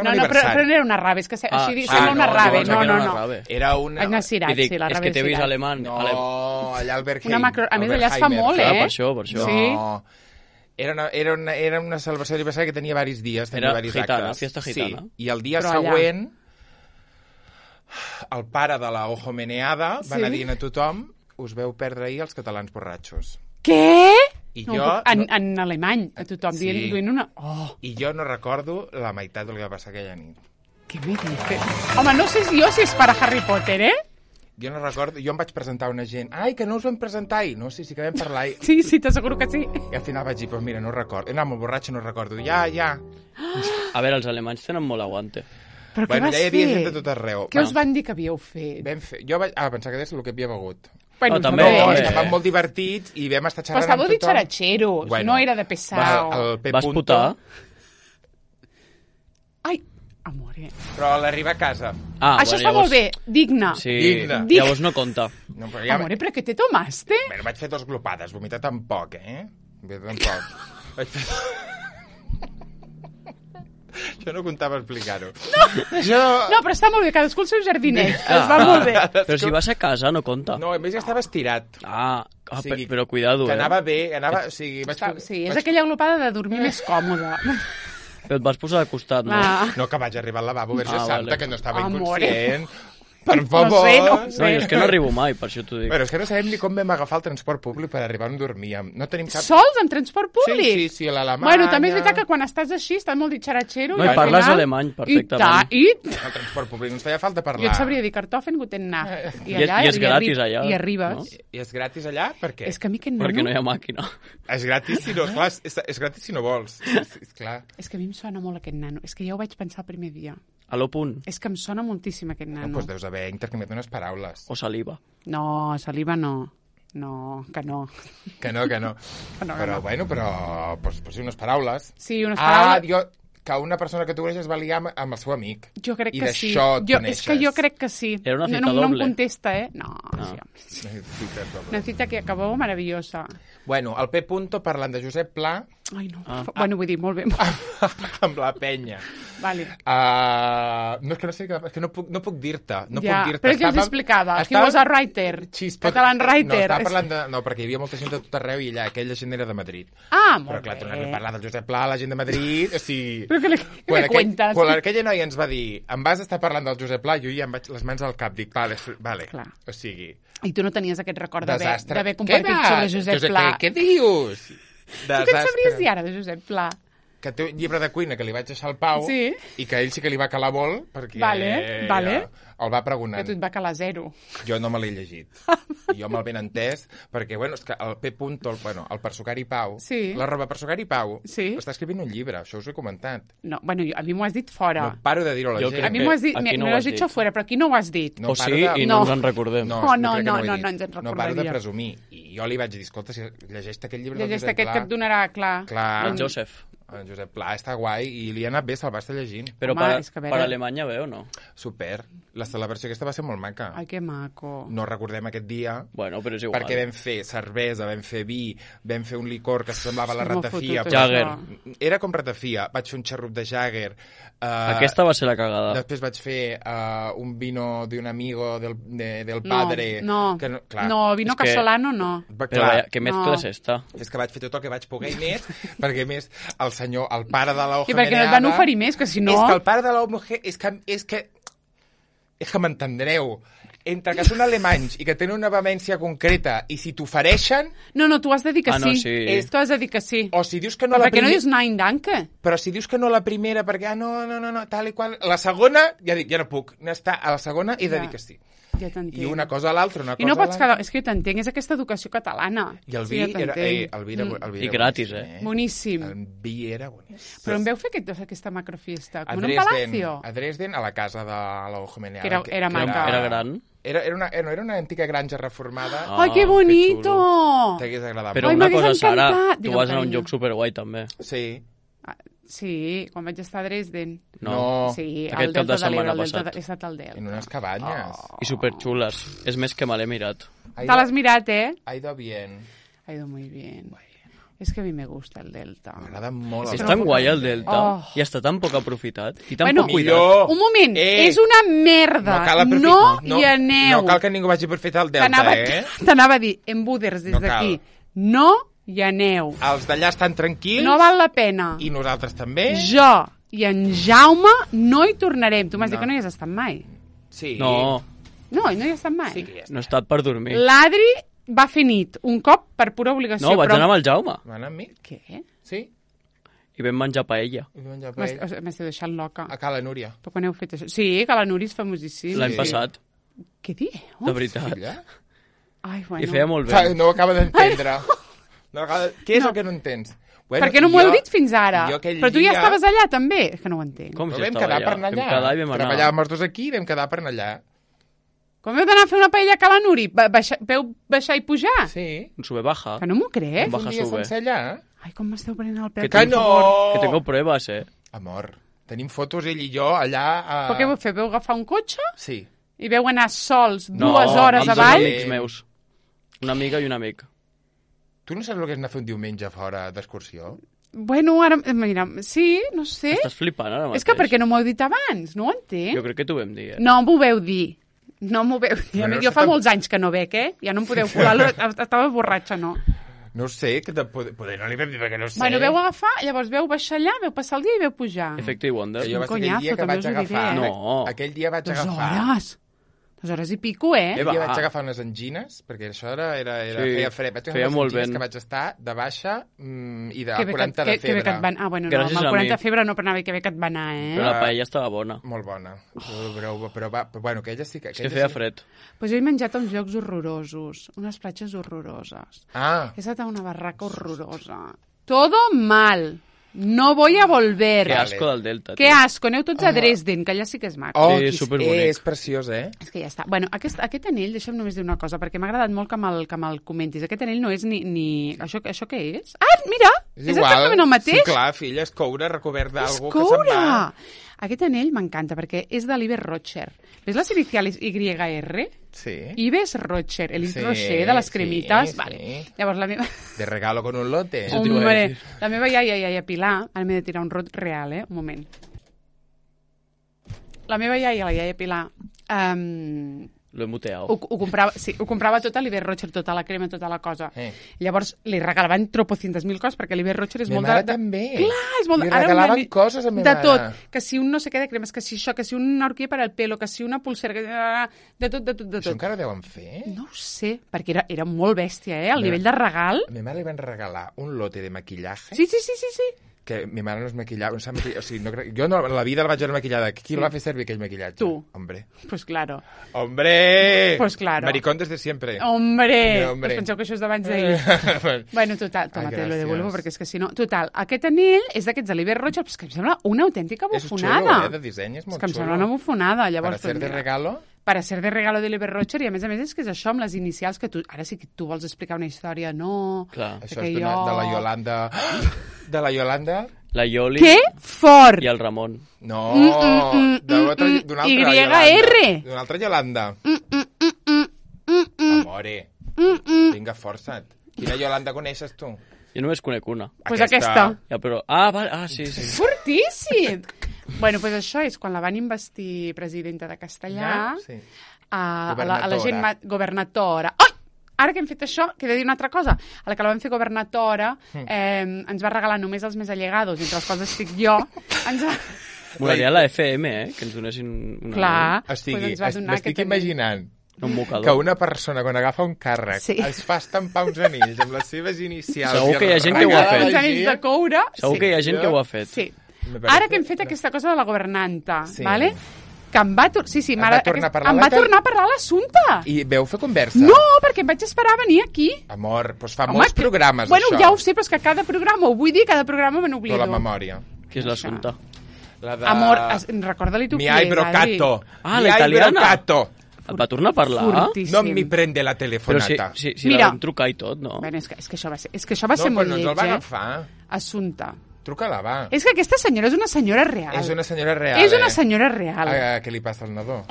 un aniversari. Però no era una rave, és que així sembla una rave. No. Era una... Vaig anar a Cirat, sí, la rave. És que t'he vist alemany. No, allà al Bergheim. A més, allà es fa molt, Per això. No. Era una celebració d'aniversari que tenia diversos dies, tenia diversos actes. Era fiesta gitana. Sí, i el dia següent el pare de la Ojo Meneada va anar dient a tothom: us veu perdre ahir els catalans borratxos. Què? I jo... En alemany, a tothom dient una... I jo no recordo la meitat del que va passar aquella nit. Què me dices? Home, no sé jo si és per a Harry Potter, Jo no recordo, jo em vaig presentar a una gent. Ai, que no us vam presentar ahir. No, sí que vam parlar ahir. Sí, t'asseguro que sí. I al final vaig dir, pues mira, no recordo. He anat molt borratxo, no recordo. Ja. A veure, els alemanys tenen molt aguante. Però què vas fer? Ja hi havia gent de tot arreu. Què us van dir que havíeu fet? Jo vaig pensar que és el que havia begut. Bueno, també. Estàvem molt divertits i vam estar xerrant amb tothom. Però estàveu ditxaratxeros, no era de pesau. Vas putar? Ai, amore. Però a l'arribar a casa. Això està molt bé, digne. Sí, llavors no compta. Amore, però què te tomaste? Bueno, vaig fer 2 glopades, vomitar tampoc, Vaig fer... Jo no comptava explicar-ho. No, però està molt bé, cadascú el seu jardinet. Es va molt bé. Però si vas a casa no compta. No, a més ja estava estirat. Però cuidado, que anava bé, o sigui... Sí, és aquella glopada de dormir més còmoda. Però et vas posar de costat, no? No, que vaig arribar al lavabo, Verge Santa, que no estava inconscient. Per favor. No sé. No, és que no arribo mai, per això t'ho dic. Però és que no sabem ni com vam agafar el transport públic per arribar on dormíem. No tenim cap... Sols, amb transport públic? Sí, a l'Alemanya... Bueno, també és veritat que quan estàs així, estàs molt ditxaratxero... No, i parles alemany perfectament. El transport públic, no ens feia falta parlar. Jo et sabria dir Kartoffeln, guten Nacht. I és gratis allà. I arribes. I és gratis allà? Per què? És que a mi aquest nano... Perquè no hi ha màquina. És gratis si no... Clar, és gratis si no vols. És clar. És que a mi em sona molt aquest nano. És que ja ho vaig pensar el primer dia. A lo punt. És que em sona moltíssim aquest nano. Doncs deus haver intercanviat unes paraules. O saliva. No, saliva no. No, que no. Que no. Però, bueno, pues sí, unes paraules. Sí, unes paraules. Que una persona que tu coneixes va liar amb el seu amic. Jo crec que sí. I d'això et coneixes. És que jo crec que sí. Era una cita doble. No em contesta, No. Una cita que acabó maravillosa. Bueno, el P. parlant de Josep Pla... Ai, no. Bueno, vull dir, molt bé. Amb la penya. Vale. No, és que no sé, és que no puc dir-te. Però què els explicava? He was a writer. Catalan writer. No, estava parlant de... No, perquè hi havia molta gent de tot arreu i allà aquella gent era de Madrid. Molt bé. Però clar, tornem a parlar del Josep Pla, la gent de Madrid, o sigui... Però què me cuentes? Quan aquella noia ens va dir em vas estar parlant del Josep Pla, jo ja em vaig les mans al cap, dic, vale. Clar. O sigui... I tu no tenies aquest record d'haver compartit sobre Josep Pla. Què dius? Tu què et sabries dir ara de Josep Pla? Que té un llibre de cuina que li vaig deixar al Pau i que ell sí que li va calar molt perquè el va pregonant. Que tu et va calar 0. Jo no me l'he llegit. Jo me'l ben entès perquè, bueno, és que el P. el Persucari Pau, l'arroba Persucari Pau, està escrivint un llibre, això us ho he comentat. No, bueno, a mi m'ho has dit fora. No paro de dir-ho a la gent. A mi m'ho has dit, me lo has dit fora, però aquí no ho has dit. O sí, i no ens en recordem. No ens en recordaria. No paro de presumir. I jo li vaig dir, escolta, si llegeix aquest llibre del Josep Pla... Llegeix aquest que et donarà, clar. El Josep. En Josep Pla està guai i li ha anat bé, se'l va estar llegint. Però per Alemanya bé o no? Super. La celebració aquesta va ser molt maca. Ai, que maco. No recordem aquest dia. Bueno, però és igual. Perquè vam fer cervesa, vam fer vi, vam fer un licor que semblava la ratafia. Jagger. Era com ratafia. Vaig fer un xarrup de Jagger. Aquesta va ser la cagada. Després vaig fer un vino d'un amigo del padre. No, vino casolano no. Però què mezcla és esta? És que vaig fer tot el que vaig poder i més, perquè més el senyor, el pare de la I perquè no et van oferir més, que si no... És que el pare de la mujer... És que m'entendreu. Entre que són alemanys i que tenen una vehemència concreta i si t'ofereixen... No, tu has de dir que no, sí. sí. Tu has de dir que sí. O si dius que no Però la per què no primera... dius nein, danke? Però si dius que no la primera perquè, no, tal i qual... La segona, ja dic, ja no puc. A la segona he de dir que sí. Ja t'entenc. I una cosa a l'altra, una cosa I no pots a l'altra. És que jo t'entenc, és aquesta educació catalana. I el vi era... El vi era I gratis, Boníssim. El vi era boníssim. Però em veu fer aquesta macrofiesta? Com en un palacio? A Dresden, a la casa de l'Eugenea. Que era maca. Era gran. Era una antiga granja reformada. ¡Ay, qué bonito! T'hagués agradat. Però Ai, una m'hagués cosa, Sara, encantat. tu vas anar a un Digue'm, lloc superguai, també. Sí. Sí, quan vaig estar a Dresden. No. Sí, Aquest al cap de Delta de setmana l'Ebre, passat. he estat al Delta. En unes cabanyes. I superxules. És més que me l'he mirat. Te l'has mirat, eh? Ha ido bien. Ha ido muy bien. Es que a mi me gusta el Delta. M'agrada molt. És tan guai el Delta Oh. i està tan poc aprofitat i tan Bueno, poc cuidat. millor. Un moment, és una merda. No hi aneu. No cal que ningú vagi per fer el Delta, T'anava a dir, embuders des No d'aquí. cal. No hi aneu. Els d'allà estan tranquils. No val la pena. I nosaltres també. Jo i en Jaume no hi tornarem. Tu m'has dit que no hi has estat mai. Sí. No, No hi has estat mai. Sí que ja està. no he estat per dormir. L'Adri va fer nit, un cop, per pura obligació. No, vaig però... anar amb el Jaume Va anar amb mi? Què? Sí. i vam menjar paella. I vam menjar paella. M'esteu deixant loca. A Cala Núria. Però quan heu fet això? Sí, que la Núria és famosíssim. L'any passat, Què dieu? de veritat. Filla? Ai, bueno. I feia molt bé. No ho acaba d'entendre. Què és el que no entens? Bueno, Per què no m'ho heu dit fins ara? jo aquell Però tu ja dia- estaves allà, també? És que no ho entenc. Com Però si vam estava quedar allà? per anar allà. Vam quedar i vam anar. Treballàvem els dos aquí i vam quedar per anar allà. Com heu d'anar a fer una paella a Cala Nuri? Veu baixar i pujar? Sí. Un sube-baja. Que no m'ho crec. Baja, Un dia sube. sense allà. Ai, com m'esteu prenent el pèl. Que Que no! Que tengo pruebas, Amor, tenim fotos ell i jo allà a... Però què vau fer? Vau agafar un cotxe Sí. i veu anar sols No, 2 hores amb dos avall? amics meus. Una amiga i un amic. Tu no saps el que és anar a fer un diumenge fora d'excursió? Bueno, ara... Mira, sí, no sé. Estàs flipant ara mateix. És que per què no m'ho heu dit abans? No ho entenc. Jo crec que t'ho vam dir, No m'ho veu dir. No m'ho veu dir. Bueno, Jo fa molts anys que no bec, eh? Ja no em podeu colar. Estava borratxa, no. No ho sé, que poder no li vam dir perquè no ho sé. Bueno, veu agafar, llavors veu baixar allà, veu passar el dia i veu pujar. Efecte i Wonder. Jo va ser aquell conyazo, dia que també vaig us ho diré, agafar... eh? No. Aquell dia vaig 2 agafar... hores. 2 hores i pico, eh? Aquell va. dia vaig agafar unes angines, perquè això Sí, feia fred. Vaig agafar feia unes molt angines vent. que vaig estar de baixa i de Que bé 40 de que bé que febre. et van... Ah, bueno, no, Gràcies amb el a 40 mi. de febre no, però anava que bé que et va anar, eh? Però la paella estava bona. Molt bona. Però bueno, aquella sí que... És que feia fred. Pues jo he menjat a uns llocs horrorosos, unes platges horroroses. Ah, He estat a una barraca horrorosa. Todo mal. No voy a volver. Que asco del Delta. Que tio. asco. Aneu tots a Dresden, que allà sí que és maco. oh, Sí, és superbonic. preciós, eh? És que ja està. Bueno, aquest anell, deixa'm només dir una cosa, perquè m'ha agradat molt que me'l comentis. Aquest anell no és ni... Això què és? Ah, mira! És exactament el mateix. Sí, clar, filla, és coure recobert És d'algú que se'n coure! va. Aquest anell m'encanta, perquè és de l'Ives Rocher. Ves les inicials YR? Sí. Ives Rocher, el Sí, Rocher de les sí, cremites. sí. Vale. Llavors, la meva... De regalo con un lote. Eso t'ho iba a Hombre, decir. la meva iaia Pilar, ara m'he de tirar un rot real, un moment. La meva iaia, la iaia Pilar, Lo he muteado. ho comprava tot a l'Iber Rocher, tota la crema, tota la cosa. Llavors li regalaven tropocientos mil coses, perquè l'Iber Rocher és Mi molt mare de... també. Clar, és molt... Li ara regalaven coses a mi de mare. tot. Que si un no sé què de cremes, que si això, que si una horquilla per al pelo, que si una pulsera... De tot. Això encara deuen fer? No ho sé, perquè era molt bèstia, el nivell de regal. A mi mare li van regalar un lote de maquillaje Sí. que mi mare no es maquillava, no sap maquillar, o sigui, no crec, jo no, en la vida la vaig veure maquillada. Qui el va fer servir aquell maquillatge? Tu. Hombre. Pues claro. ¡Hombre! Pues claro. Maricón desde siempre. Hombre! Hombre. Pues penseu que això és d'abans d'ahir. Bueno, total, toma, te lo devuelvo, perquè és que si no... Total, aquest anell és d'aquests de l'Iber Rocher, però és que em sembla una autèntica És xulo, bufonada. de disseny, és molt És que em xulo. sembla una bufonada. Per Llavors, hacer pues, de mira, regalo... para ser de regalo de l'Iber Rocher, i a més és que és això, amb les inicials que tu... Ara sí que tu vols explicar una història, no... Clar. Això perquè és de la Yolanda... De la Yolanda? La Yoli Que fort! i el Ramon. No, mm, d'una altra YR. Yolanda. D'una altra Yolanda. Amore, vinga, força't. Quina Yolanda coneixes tu? Jo només conec una. Pues aquesta. Ja, però... Ah, vale. Ah, sí. Fortíssim! Bueno, pues això és quan la van investir presidenta de Castellà, Sí. a la gent... Governatora. Governatora. Ai! ara que hem fet això, que he de dir una altra cosa. A la que la vam fer governatora, ens va regalar només els més allegados, entre els quals estic jo, ens va... Molaria la FM, que ens donessin una... Clar, m'estic imaginant que una persona, quan agafa un càrrec, es fa estampar uns anells amb les seves inicials... Segur que hi ha gent que ho ha fet. Uns anells de coure... Segur que hi ha gent que ho ha fet. Sí. Ara que hem fet aquesta cosa de la governanta, vale? Que em va tornar a parlar l'assumpte. I veu fer conversa? No, perquè em vaig esperar a venir aquí. Amor, doncs fa molts programes, això. Bueno, ja ho sé, però és que cada programa, ho vull dir, cada programa me n'oblido. Però la memòria. Què és l'assumpte? Amor, recorda-li tu qui és, Adri. La italiana. Et va tornar a parlar? Fortíssim. No mi prende la telefonata. Però si la vam trucar i tot, no? Bueno, és que això va ser molt lleig, No, però no ens el va agafar. Assumpte. Truca-la, va. És que aquesta senyora és una senyora real. És una senyora real, És una senyora real. Què li passa al nadó?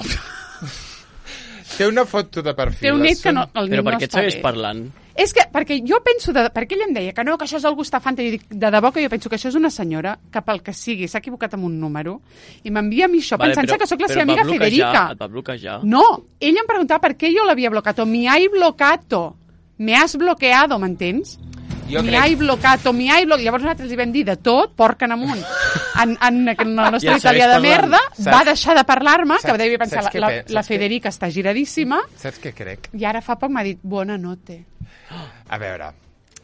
Té una foto de perfil. Té un net que no, el Però per no què et està segueix bé. parlant? És que, perquè jo penso, perquè ell em deia que no, que això és el Gustafante, i jo dic, de debò que jo penso que això és una senyora que pel que sigui s'ha equivocat amb un número i m'envia a mi això pensant-se que sóc la seva amiga Federica. Et va bloquejar. No, ella em preguntava per què jo l'havia bloqueat. Me hai bloqueado. Me has bloqueado, m'entens? Hai bloqueado. Llavors nosaltres li vam dir de tot, porca en amunt. En la nostra italià de merda, va deixar de parlar-me, que devia pensar, la Federica està giradíssima. Saps què crec? I ara fa poc m'ha dit, bona note. A veure...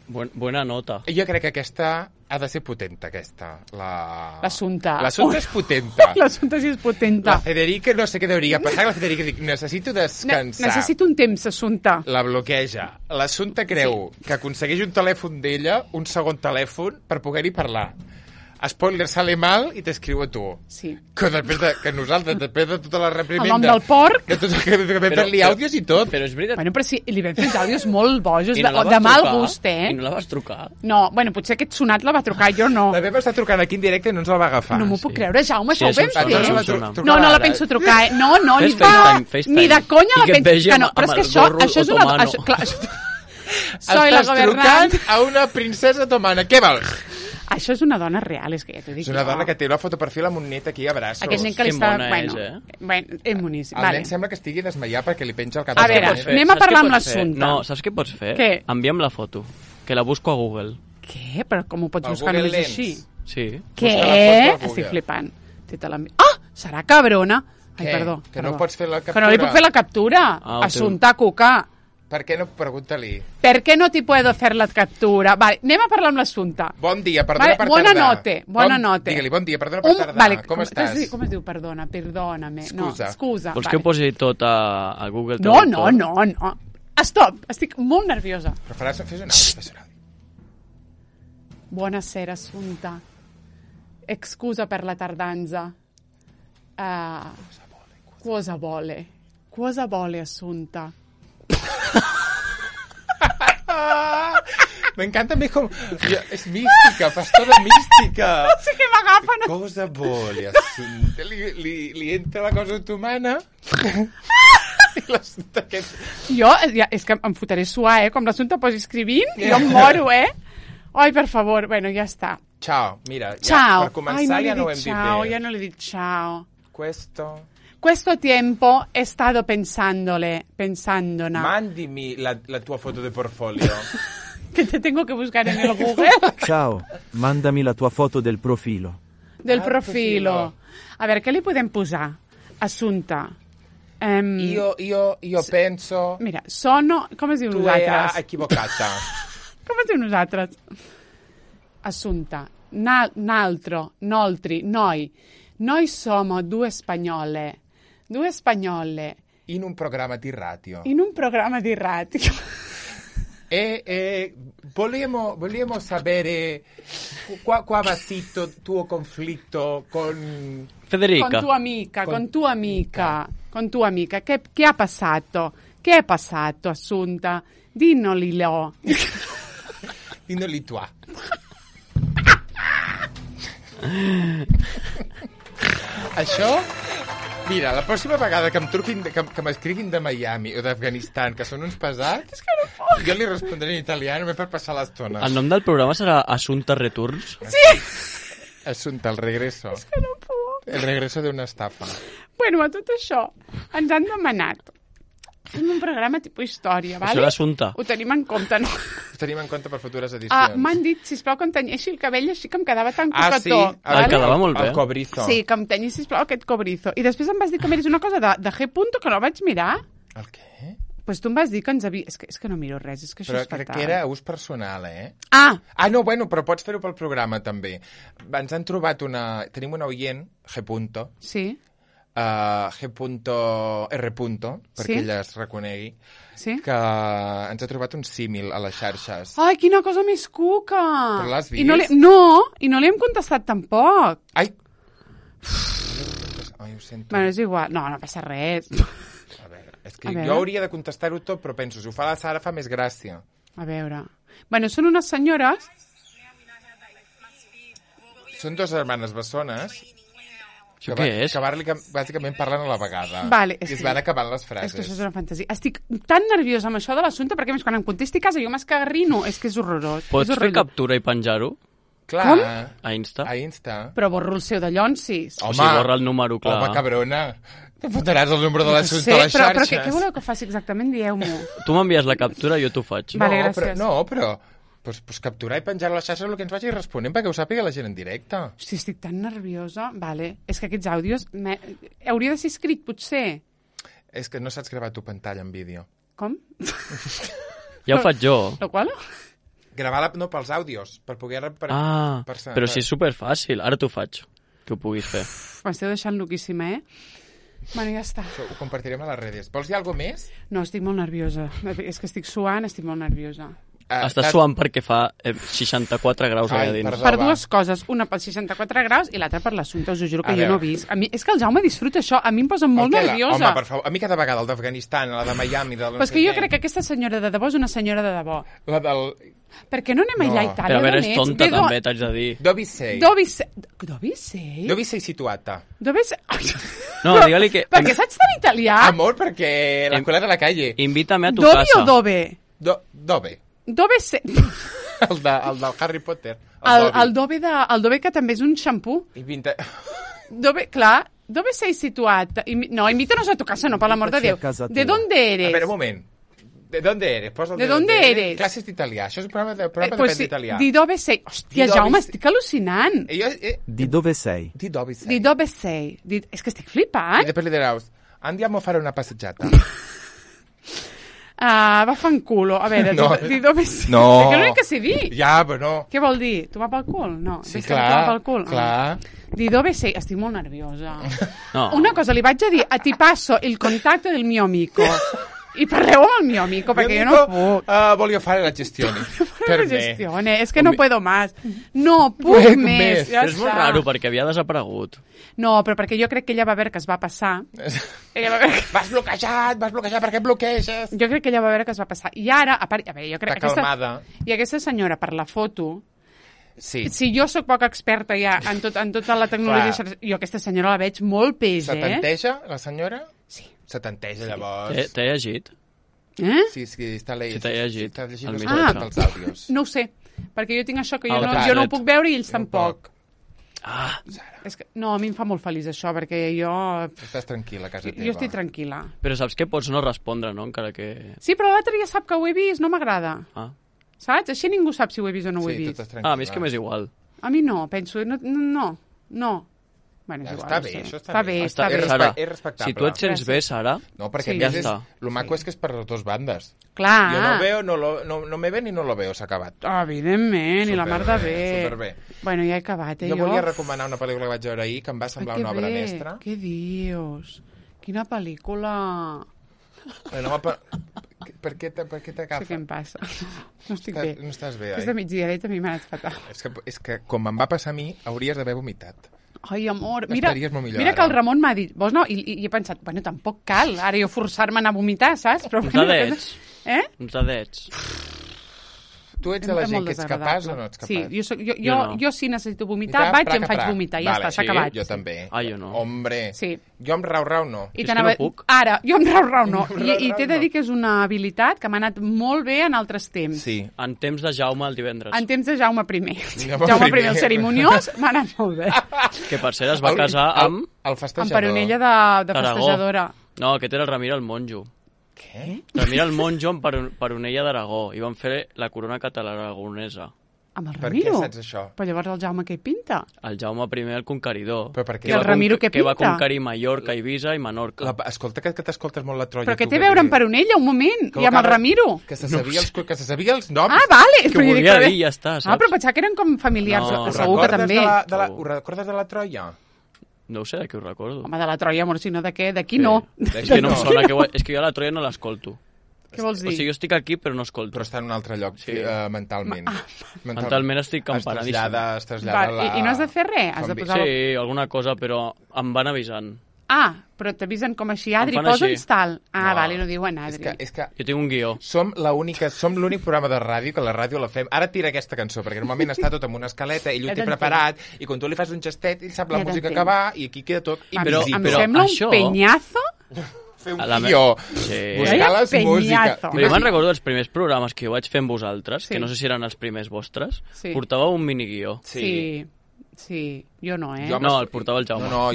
Buena nota. Jo crec que aquesta ha de ser potenta, aquesta. L'assumpte. L'assumpte és potenta. L'assumpte sí és potenta. La Federica no sé què hauria passat. La Federica dic, necessito descansar. Necessito un temps, assumpte. La bloqueja. L'assumpte creu que aconsegueix un telèfon d'ella, un segon telèfon, per poder-hi parlar. Spoiler, sale mal i t'escriu a tu. Sí. Que nosaltres, després de tota la reprimenda... El nom del porc... Que vam fer-li àudios i tot. Però és veritat... Bueno, però sí, li vam fer uns àudios molt bojos, de mal gust, I no la vas trucar? No, bueno, potser aquest sonat la va trucar, jo no. La vam estar trucant aquí en directe i no ens el va agafar. No m'ho puc creure, Jaume, això ho vam fer. No la penso trucar, No, ni de conya la penso... Però és que això és una... Soy la governant. Trucant a una princesa otomana. Què vols? Això és una dona real, és que ja t'ho dic. És una dona que té una fotoprofil amb un net aquí a braços. Aquest net que li està... Bueno, és boníssim. El nen sembla que estigui desmaiat perquè li penja el cap. A veure, anem a parlar amb l'assumpte. No, saps què pots fer? Què? Envia'm la foto, que la busco a Google. Què? Però com ho pots buscar només així? Sí. Què? Estic flipant. Serà cabrona. Ai, perdó. Que no pots fer la captura. Que no li puc fer la captura. Assumpte, cuca. Per què no? Pregunta-li. Per què no t'hi puedo fer la captura? Vale, anem a parlar amb l'assumpte. Bon dia, perdona per tardar. Bona note. Digue-li, bon dia, perdona per tardar. Vale, com estàs? Com es diu perdona? Perdóname. Excusa. Vols que ho posi tot a Google? No. Stop, estic molt nerviosa. Però fes un àudio. Buonasera, assumpte. Excusa per la tardanza. Cosa vuole, assumpte? M'encanta més com... És mística, pastora mística. No sé què m'agafen. Cosa vuole, assumpte. Li entra la cosa otomana. Jo, és que em fotré suar, com l'assumpte posi escrivint, jo em moro, Ai, per favor, bueno, ja està. Ciao, mira, per començar ja no ho hem dit bé. Ja no li he dit ciao. Questo tiempo he estado pensandona. Mandimi la tua foto de portfolio. Que te tengo que buscar en el Google. Ciao, mandami la tua foto del profilo. Del profilo. A veure, què li podem posar? Assumpte. Io penso... Mira, sono... Com es diu nosaltres? Tu equivocata. Com es diu nosaltres? Assumpte. Noltri, noi. Noi siamo due spagnole. In un programma di radio. E vogliamo sapere qua va sito tuo conflitto con Federica. Con tua amica. Che ha passato? Che è passato, Assunta? Dinnoli tua. Això, mira, la pròxima vegada que em truquin, que m'escriguin de Miami o d'Afganistan, que són uns pesats, jo li respondré en italià només per passar l'estona. El nom del programa serà Assumpta Returns? Sí! Assumpta, el regreso. És que no puc. El regreso d'una estafa. Bueno, a tot això, ens han demanat Fem un programa tipus història, vale? Això és l'assumpte. Ho tenim en compte, no? Ho tenim en compte per futures edicions. M'han dit, sisplau, que em tenyeixi el cabell així que em quedava tan sí? cocató. El quedava molt bé. El cobrizo. Sí, que em tenyi, sisplau, aquest cobrizo. I després em vas dir que miris una cosa de G. que no vaig mirar. El què? Pues tu em vas dir que ens havia... És que no miro res, és que això Però és fatal. crec que era ús personal, Ah! no, bueno, però pots fer-ho pel programa, també. Ens han trobat Tenim una oient, G. Sí. G.R. perquè ella es reconegui, que ens ha trobat un símil a les xarxes. Ai, quina cosa més cuca! Però l'has vist? I no li hem contestat tampoc. Ai, ho sento. Bueno, és igual. No passa res. A veure, és que jo hauria de contestar-ho tot, però penso, si ho fa la Sara fa més gràcia. A veure... Bueno, són unes senyores... Són dues germanes bessones... Això què és? Que bàsicament parlen a la vegada. Vale, I es van acabant les frases. És que això és una fantasia. Estic tan nerviosa amb això de l'assumpte perquè, més, quan em contesti a casa jo m'escagarrino. És que és horrorós. Pots fer captura i penjar-ho? Clar. Com? A Insta? A Insta. Però borro el seu de llonsis. O sigui, borra el número, clar. Home, cabrona. Te fotràs el número de l'assumpte a les xarxes. Però què voleu que faci exactament? Dieu-m'ho. Tu m'envies la captura, jo t'ho faig. Vale, gràcies. Però pues capturar i penjar a les xarxes el que ens vagi responent perquè ho sàpiga la gent en directe. Hosti, estic tan nerviosa. Vale. És que aquests àudios... Hauria de ser escrit, potser. És que no saps gravar tu pantalla en vídeo. Com? Ja ho faig jo. Lo qual? Gravar pels àudios, per poder... Però si és superfàcil. Ara t'ho faig, que ho puguis fer. M'esteu deixant loquíssima, Bueno, ja està. Ho compartirem a les redes. Vols dir alguna més? No, estic molt nerviosa. És que estic suant, estic molt nerviosa. Estàs suant perquè fa 64 graus allà dins. Per dues coses. Una pels 64 graus i l'altra per l'assumpte. Us ho juro que jo no he vist. És que el Jaume disfruta això. A mi em posa molt nerviosa. Home, per favor. A mi cada vegada el d'Afganistan, la de Miami... Però és que jo crec que aquesta senyora de debò és una senyora de debò. La del... Per què no anem allà a Itàlia? Però a veure, és tonta també, t'haig de dir. Dove sei? Dove sei situata? No, digue-li que... Per què saps tan italià? Amor, perquè l'escola de la calle. Invítame a tu casa. Dovi o dove? Dove. Dove sei... El del Harry Potter. El Dove que també és un xampú. Dove, clar, dove sei situat? No, invítanos a tu casa, no, per l'amor de Déu. ¿De dónde eres? A veure, un moment. ¿De dónde eres? ¿De dónde eres? Classes d'italià. Això és un programa de d'italià. Di dove sei. Hòstia, Jaume, estic al·lucinant. Di dove sei. Di dove sei. Di dove sei. És que estic flipant. I després li diràs, andiamo a fare una passeggiata. Va fanculo. A veure, di dove sei. No. Perquè l'únic que sé dir. Ja, però no. Què vol dir? Tu va pel cul? No. Sí, clar. Di dove sei? Estic molt nerviosa. No. Una cosa, li vaig a dir, ti passo il contatto del mio amico. I parleu amb el mio amico, perquè jo no puc. Voglio fare la gestione. Per gestione, és que no puedo más. No puc més. Ja és molt raro, perquè havia desaparegut. No, però perquè jo crec que ella va veure que es va passar. Vas bloquejat, per què bloqueges? Jo crec que ella va veure que es va passar. I ara, a veure, jo crec que aquesta senyora, per la foto, sí. Si jo sóc poc experta ja en tota la tecnologia, jo aquesta senyora la veig molt peix, Setanteja, la senyora? Sí. Setanteja, llavors. T'he llegit? Sí, està llegint. Si t'he llegit. Està llegint els àudios. No ho sé, perquè jo tinc això que jo no ho puc veure i ells tampoc. És que, no, a mi em fa molt feliç això, perquè jo... Estàs tranquil·la a casa teva. Jo estic tranquil·la. Però saps que pots no respondre, no? Encara que... Sí, però l'altre ja sap que ho he vist, no m'agrada. Saps? Així ningú sap si ho he vist o no ho he vist. A mi és que m'és igual. A mi no, penso... No. Bueno, és igual, està bé, això està bé. Sara, és respectable. si tu et sents bé, Sara... No, perquè ja està. Lo maco és que és per les dues bandes. Clar. Jo no me ven i no lo veo, s'ha acabat. Evidentment, i la mar de bé. Superbé. Bueno, ja he acabat, jo volia recomanar una pel·lícula que vaig veure ahir, que em va semblar una obra mestra. Què dius? Quina pel·lícula... Per què t'agafa? No sé què em passa. No estic bé. No estàs bé, És de migdia, també m'ha anat fatal. És que com em va passar a mi, hauries d'haver vomitat. Ai, amor, mira que el Ramon m'ha dit, vols no? I he pensat, bueno, tampoc cal, ara jo forçar-me a anar a vomitar, saps? Uns dadets. Uns dadets. Tu ets de la gent que ets capaç o no ets capaç? Sí, jo si necessito vomitar, vaig i em faig vomitar, ja està, s'ha acabat. Jo també. Jo no. Hombre, sí. Jo amb rau no. És que no puc. Ara, jo amb rau no. I t'he de dir que és una habilitat que m'ha anat molt bé en altres temps. Sí. En temps de Jaume el divendres. En temps de Jaume I. Jaume I, el cerimoniós, m'ha anat molt bé. Que per cert es va casar amb... El festejador. Amb Peronella de festejadora. No, aquest era el Ramiro el monjo. Què? Doncs mira el monjo en Peronella d'Aragó i van fer la corona catalana aragonesa. Amb el Per què Ramiro? saps això? Però llavors el Jaume què hi pinta? El Jaume I, el conqueridor. Però per què? I el Ramiro què Que va pinta? conquerir Mallorca, Ibiza i Menorca. Escolta, que t'escoltes molt la Troia. Però què tu, té a veure amb Peronella, un moment? I amb el Ramiro? Que se sabia els noms. Ah, vale. Que Però jo dic, volia però- dir, ja està, saps? Ah, però pensava que eren com familiars. No. Segur que també. Ho recordes de la Troia? No ho sé, de què ho recordo. Home, de la Troia, amor, si no de què? D'aquí no. És que no em sona, és que jo a la Troia no l'escolto. Què vols O dir? sigui, jo estic aquí però no escolto. Però està en un altre lloc, Sí. mentalment. Mentalment estic empanadíssim. Es trasllada Va, I no has de fer res? Has de posar... Sí, alguna cosa, però em van avisant. Ah, però t'avisen com així, Adri, Em fan posa'ns així. tal. Ah, No. vale, no diuen Adri. És que Jo tinc un guió. som l'únic programa de ràdio que la ràdio la fem. Ara tira aquesta cançó, perquè normalment està tot amb una escaleta, ell ho Ja té t'entenc. preparat, i quan tu li fas un gestet, ell sap la Ja música t'entenc. que va, i aquí queda tot Però- invisible. Em sembla això- un penyazo. Fer un A la guió, Sí. buscar les Peñazo. músiques. Però jo me'n recordo dels primers programes que jo vaig fer amb vosaltres, Sí. que no sé si eren els primers vostres, Sí. portàveu un miniguió. Sí. Sí, jo no, eh? Jo No, el portava el Jaume. No,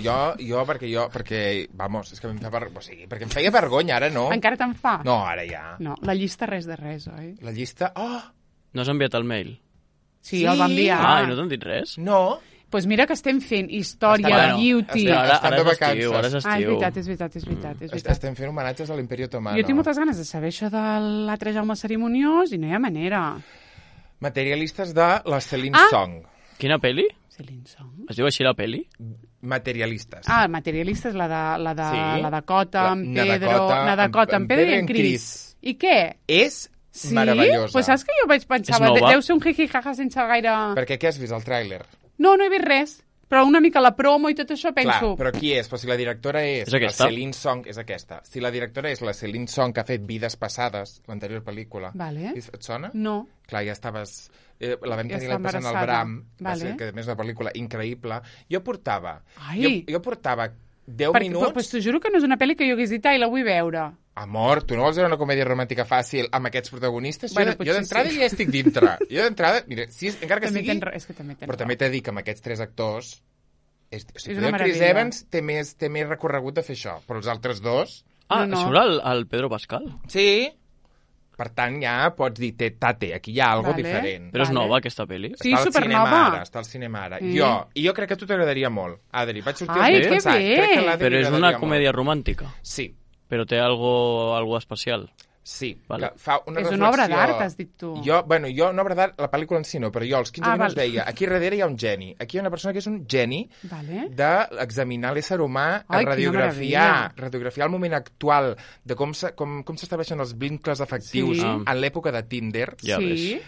perquè, vamos, és que em fa o sigui, perquè em feia vergonya, ara no. Encara te'n fa? No, ara ja. No, la llista res de res, oi? La llista... Oh, No has enviat el mail? Sí, el va enviar. Ah, i no t'han dit res? no. Pues mira que estem fent història, Estan- beauty... estan- Ara, estan ara de és estiu, vacances. ara és estiu. Ah, és veritat, és veritat, és veritat. És veritat. Estem fent homenatges a l'Imperi Otomano. Jo tinc moltes ganes de saber això de l'altre Jaume Cerimoniós i no hi ha manera. Materialistes de la Celine Ah! Song. Quina peli? Celine Song. Es diu així la peli? Materialistes. Ah, materialista és la Sí. de Cota, La- en Pedro... Nadakota, en Pedro i en Cris. I què? És Sí? meravellosa. Pues saps que jo vaig pensar... És nova? Deu ser un jiji-jaja sense gaire... Perquè què has vist, el tràiler? No, no he vist res. Però una mica la promo i tot això penso... Clar, però qui és? Però si la directora és És aquesta? la Celine Song, és aquesta. Si la directora és la Celine Song, que ha fet Vides Passades, l'anterior pel·lícula. Vale. Et sona? No. Clar, ja estaves... la vam Ja tenir està l'any passat al embarassada. Bram, va Vale. ser, que a més és una pel·lícula increïble. Jo portava... Ai. Jo portava 10 minuts... Pues t'ho juro que no és una pel·li que jo hagués dit, ai, la vull veure. Amor, tu no vols veure una comèdia romàntica fàcil amb aquests protagonistes? Bueno, jo potser d'entrada sí. ja estic dintre. Jo d'entrada, mira, encara que També sigui... és que també tens Però també t'he de dir que amb aquests 3 actors... O sigui, una el Chris meravella. Evans té més recorregut de fer això, però els altres dos... Ah, No, no. surt el Pedro Pascal. Sí. Per tant, ja pots dir, tate, aquí hi ha alguna Vale. diferent. Però és Vale. nova, aquesta pel·li. Sí, Està al cinema supernova. ara, està al cinema ara. Sí. I jo crec que a tu t'agradaria molt. Adri, vaig sortir Ai, els que pensant, bé! crec que a l'Adri Però li és una agradaria comèdia molt. romàntica. Sí, Però té algo especial. sí. Vale. Que fa una És reflexió... una obra d'art, has dit tu. Jo, una obra d'art, la pel·lícula en si no, però jo als 15 Ah, minuts val. deia, aquí darrere hi ha un geni. Aquí hi ha una persona que és un geni Vale. d'examinar l'ésser humà, Ai, quina radiografiar el moment actual de com s'estableixen els vincles afectius Sí. en l'època de Tinder, Ja sí.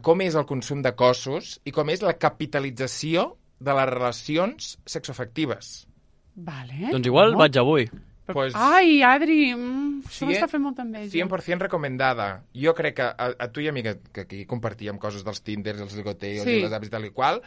com és el consum de cossos i com és la capitalització de les relacions sexoafectives. Vale. Doncs igual No? vaig avui. Pues, Ai, Adri, això 100 m'està fent molta enveja. 100% recomendada. Jo crec que a tu i a mi, que aquí compartíem coses dels Tinders, els ligoteos Sí. i les apps i tal i qual,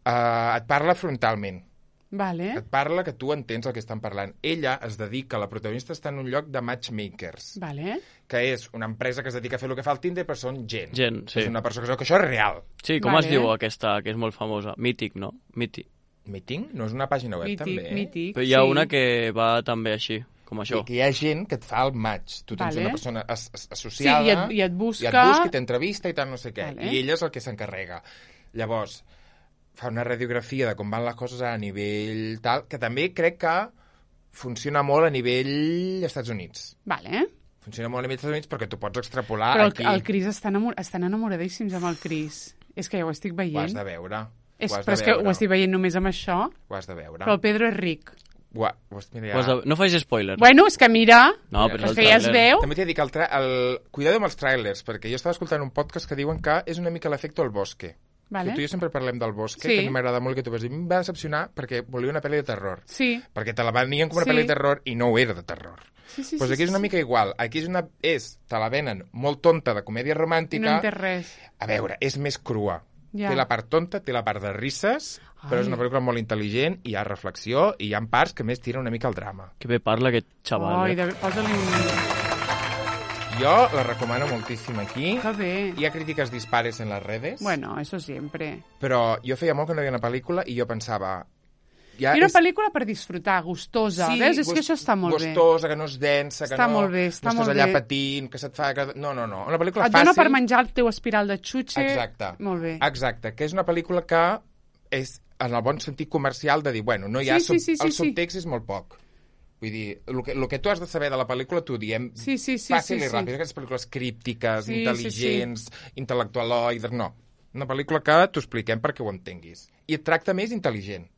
et parla frontalment. Vale. Et parla que tu entens el que estan parlant. Ella es dedica, la protagonista està en un lloc de matchmakers, Vale. que és una empresa que es dedica a fer el que fa el Tinder, però són gent. Gent, sí. És una persona que això és real. Sí, com Vale. es diu aquesta, que és molt famosa? Mític, no? Mític. Meeting? No és una pàgina web, també? Mític, Però hi ha sí. una que va també així, com això. Que hi ha gent que et fa el match. Tu tens Vale. una persona associada... Sí, i et busca... I et busca i t'entrevista i tal, no sé què. Vale. I ella és el que s'encarrega. Llavors, fa una radiografia de com van les coses a nivell tal, que també crec que funciona molt a nivell Estats Units. Vale. Funciona molt a nivell Estats Units perquè tu pots extrapolar Però aquí. el Cris estan enamoradíssims amb el Cris. És que ja ho estic Ho has veient. de veure. Però és que ho estic veient només amb això. Ho has de veure. Però el Pedro és ric. Mira, No facis spoilers. Bueno, és que mira, No, però és és el que ja es tràiler. veu. També t'he de dir que cuidado amb els trailers, perquè jo estava escoltant un podcast que diuen que és una mica l'efecte El Bosque. Vale. Que tu i jo sempre parlem del Bosque, Sí. que a mi m'agrada molt, que tu vas dir, em va decepcionar perquè volia una pel·li de terror. Sí. Perquè te la venien com una Sí. pel·li de terror i no ho era de terror. Sí, sí, Pues sí, aquí és una sí. mica igual. Aquí te la venen molt tonta de comèdia I no romàntica. entès res. A veure, és més crua. Ja. Té la part tonta, té la part de risses, però Ai. és una pel·lícula molt intel·ligent, hi ha reflexió i hi ha parts que més tira una mica al drama. Que bé parla aquest xaval. Ai, eh? posa-li un... Jo la recomano moltíssim aquí. Que bé. Hi ha crítiques dispares en les redes, Bueno, eso siempre. però jo feia molt que no veia una pel·lícula i jo pensava Ja I una pel·lícula per disfrutar, gustosa. Sí, veus? És que això està molt bé. Gustosa, que no és densa, que Està no, molt bé, no està estàs molt allà bé. patint, que se't fa... No. Una pel·lícula Et fàcil... dona per menjar el teu espiral de xutxe. Exacte. Molt bé. Exacte, que és una pel·lícula que és, en el bon sentit comercial, de dir, bueno, no hi ha Sí, el subtext és molt poc. Vull dir, el que tu has de saber de la pel·lícula t'ho diem fàcil i ràpid. Aquestes pel·lícules críptiques, intel·ligents, intel·lectualoides... No. Una pel·lícula que t'ho expliquem perquè ho entenguis. I et tracta més intel·ligent.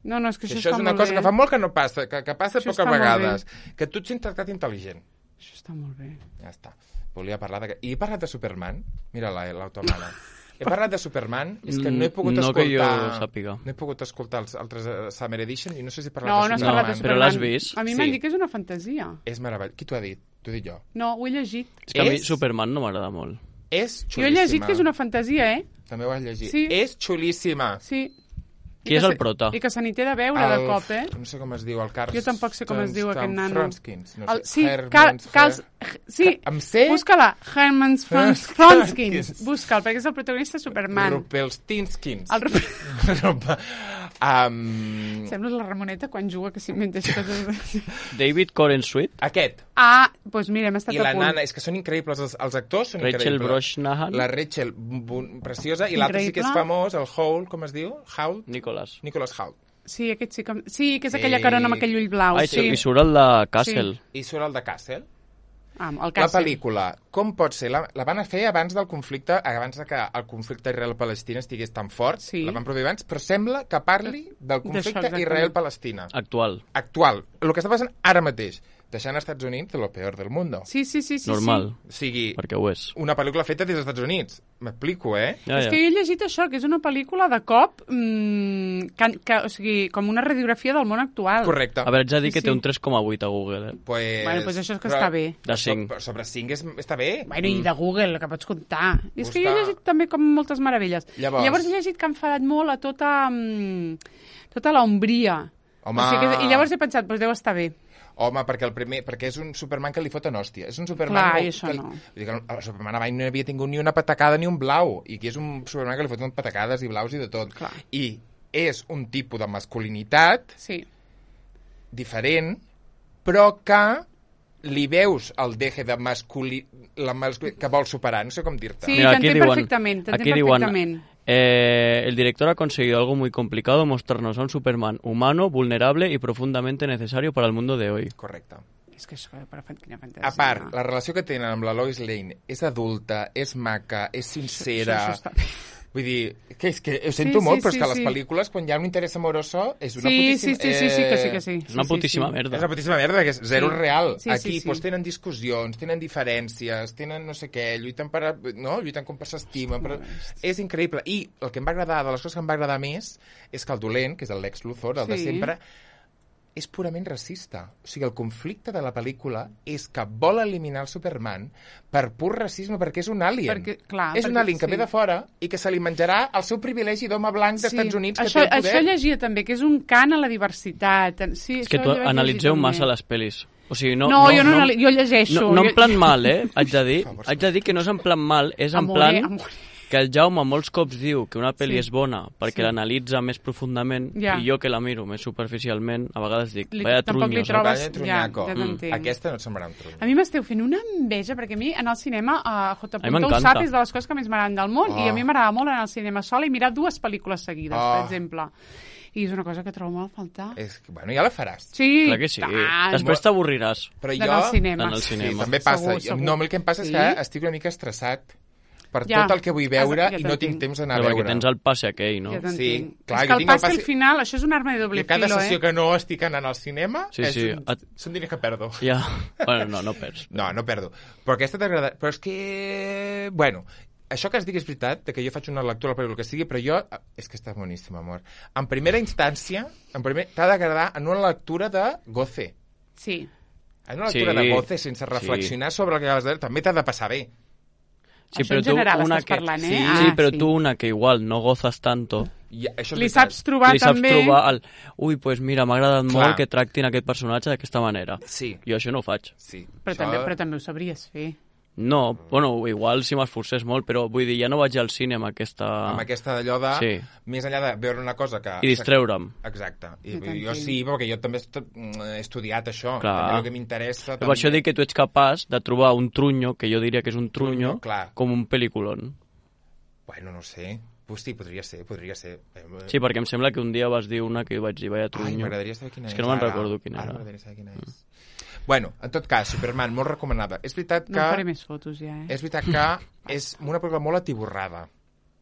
No, és que això és una cosa que fa molt que no passa, que passa això poques vegades. Que tu et sents tractat intel·ligent. Això està molt bé. Ja està. Volia parlar de... I he parlat de Superman. Mira l'automana. He parlat de Superman, és que no he pogut escoltar... No que jo sàpiga. No he pogut escoltar els altres Summer Edition i no sé si he parlat No de has Superman. parlat de Superman. Però l'has vist? A mi m'han dit que és una fantasia. És meravellós. Qui t'ho ha dit? T'ho he dit jo. No, ho he llegit. És que a mi Superman no m'agrada molt. És xulíssima. Jo he llegit que és una fantasia, També ho has llegit. Sí. És xulíssima. Sí. Qui és el prota? I que se n'hi té de veure de cop, No sé com es diu, el Carl... Jo tampoc sé com es diu aquest nano. Fronskins. No sé. Sí, sí, Amb C? busca-la. Herman Fronskins. Busca'l, perquè és el protagonista de Superman. Rupelstinskins. Sembla la Ramoneta quan juga que s'inventa coses. David Corenswet? Aquest. Doncs mira, hem estat I a la punt. nana, és que són increïbles, els actors són Rachel increïbles. Brosnahan? La Rachel, preciosa, i l'altre sí que és famós, el Howl, com es diu? Howl? Nicholas Howl. Sí, aquest sí que... Sí, que és aquella carona amb aquell ull blau. Sí. I surt el de Castle. I surt el de Castle. El La Castle. pel·lícula, com pot ser? La van fer abans del conflicte, abans de que el conflicte Israel-Palestina estigués tan fort, la van produir abans, però sembla que parli del conflicte Israel-Palestina. Actual. El que està passant ara mateix. Deixant als Estats Units de lo peor del mundo. Sí. Normal. O sigui, perquè ho és. Una pel·lícula feta des dels Estats Units. M'explico, És que jo he llegit això, que és una pel·lícula de cop, o sigui, com una radiografia del món actual. Correcte. A veure, haig de dir que té un 3,8 a Google, Pues això és que està bé. De 5. Sobre 5 està bé. Bueno, i de Google, que pots comptar. I és que jo he llegit també com moltes meravelles. Llavors he llegit que han enfadat molt a tota l'ombria. Home... I llavors he pensat, doncs deu estar bé. Home, perquè és un Superman que li foten hòstia. És un Superman... Clar, i això no. Vull dir que el Superman abans no havia tingut ni una patacada ni un blau. I aquí és un Superman que li foten patacades i blaus i de tot. Clar. I és un tipus de masculinitat diferent, però que li veus el deje de que vol superar. No sé com dir-te. Sí, t'entenc perfectament. El director ha conseguido algo muy complicado, mostrarnos a un Superman humano, vulnerable y profundamente necesario para el mundo de hoy. Correcte. És que això, quina fantasia. A part, la relació que tenen amb la Lois Lane és adulta, és maca, és sincera... Això està bé. Vull dir, que és que ho sento molt, però és que a les pel·lícules, quan hi ha un interès amoroso, és una putíssima... Sí. És una putíssima merda. És una putíssima merda, que és zero real. Sí, Aquí tenen discussions, tenen diferències, tenen no sé què, lluiten com per s'estimen. És increïble. I el que em va agradar, de les coses que em va agradar més, és que el dolent, que és el Lex Luthor, el de sempre, és purament racista. O sigui, el conflicte de la pel·lícula és que vol eliminar el Superman per pur racisme, perquè és un alien. És un alien que ve de fora i que se li menjarà el seu privilegi d'home blanc dels Estats Units que té el poder. Això llegia també, que és un cant a la diversitat. Sí, és que tu analitzeu massa les pel·lis. O sigui, jo llegeixo. No en plan mal, haig de dir que no és en plan mal, és en plan... que el Jaume molts cops diu que una pel·li és bona perquè l'analitza més profundament i jo que la miro més superficialment a vegades dic, vaya trunyos. Aquesta no et semblarà un truny. A mi m'esteu fent una enveja perquè a mi anar al cinema J. ho sap, és de les coses que més m'agraden del món i a mi m'agrada molt anar al cinema sola i mirar 2 pel·lícules seguides, per exemple. I és una cosa que trobo molt a faltar. Bueno, ja la faràs. Sí, clar que sí. Després t'avorriràs. D'anar al cinema. Sí, també passa. No, el que em passa és que estic una mica estressat per tot el que vull veure i no tinc temps d'anar a veure. Perquè tens el passe aquell, no? Sí, clar, és que el passe al final, això és un arma de doble filo, cada sessió que no estic anant al cinema són diners que perdo. Ja, bueno, no perds. No perdo. Però aquesta t'agrada... Però és que... Bueno, això que has dit és veritat, que jo faig una lectura per el que sigui, però jo... És que està boníssim, amor. En primera instància, t'ha d'agradar en una lectura de goce. Sí. En una lectura de goce, sense reflexionar sobre el que acabes de dir, també t'ha de passar bé. Sí, això en general estàs parlant, eh? Sí, però tu una que igual no gozas tanto... Li saps trobar també... el... Ui, pues mira, m'ha agradat molt que tractin aquest personatge d'aquesta manera. Sí. Jo això no ho faig. Sí. Però també ho sabries fer. No, bueno, igual si m'esforcés molt, però vull dir, ja no vaig al cine amb aquesta... Amb aquesta d'allò de... Sí. Més enllà de veure una cosa que... I distreure'm. Exacte. Jo sí, perquè jo també he estudiat això. Clar. També el que m'interessa... Per això dic que tu ets capaç de trobar un trunyo, que jo diria que és un trunyo, com un pel·lículon. Bueno, no sé. Pues sí, podria ser. Sí, perquè em sembla que un dia vas dir una que jo vaig dir, vaya trunyo. Ai, m'agradaria saber quina és. És que no me'n recordo quina era. M'agradaria saber quina és. Bueno, en tot cas, Superman, molt recomanada. És veritat que... No faré més fotos ja, És veritat que és una pel·lícula molt atiborrada.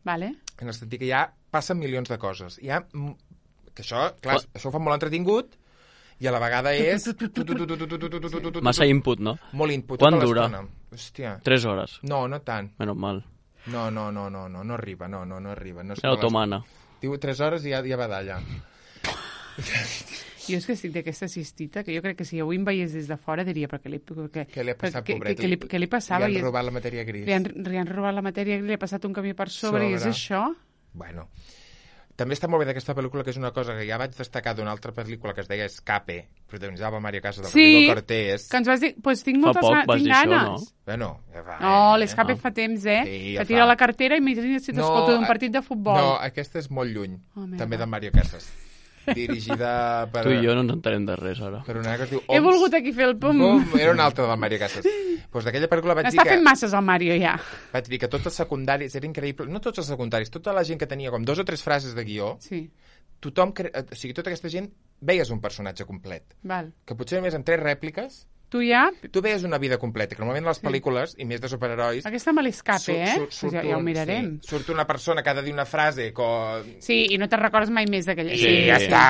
Vale. En el sentit que ja passen milions de coses. Que això, clar, això ho fa molt entretingut i a la vegada és... Massa input, no? Molt input. Quant dura? Hòstia. 3 hores. No tant. Menos mal. No arriba, no arriba. Era otomana. Diu 3 hores i ja va d'allà. Jo és que estic d'aquesta cistita, que jo crec que si avui em veiés des de fora diria, però què li ha passat, pobret? Què li passava? Li han robat la matèria gris. Li han robat la matèria gris, li ha passat un camió per sobre. I és això? Bueno, també està molt bé d'aquesta pel·lícula, que és una cosa que ja vaig destacar d'una altra pel·lícula que es deia Escape, protagonitzada Mario Casas, del Rodrigo Cortés. Que ens vas dir... Pues tinc moltes ganes. Bueno, no, l'Escape fa temps, Sí, que tira la cartera i imagina't si t'escolta d'un partit de futbol. No, aquesta és molt lluny, també de Mario Casas. Dirigida per... Tu i jo no ens entenem de res, ara. Per una que es diu He volgut aquí fer el pum. Era una altra del Mario Casas. Pues d'aquella pel·lícula vaig dir que... Està fent masses el Mario, ja. Vaig dir que tots els secundaris, era increïble, no tots els secundaris, tota la gent que tenia com 2 o 3 frases de guió, tothom, o sigui, tota aquesta gent, veies un personatge complet. Val. Que potser només amb 3 rèpliques... Tu ja... Tu veies una vida completa, que normalment les pel·lícules, i més de superherois... Aquesta me l'Escape, ja ho mirarem. Surt una persona que ha de dir una frase... Sí, i no te'n recordes mai més d'aquella... Sí, ja està,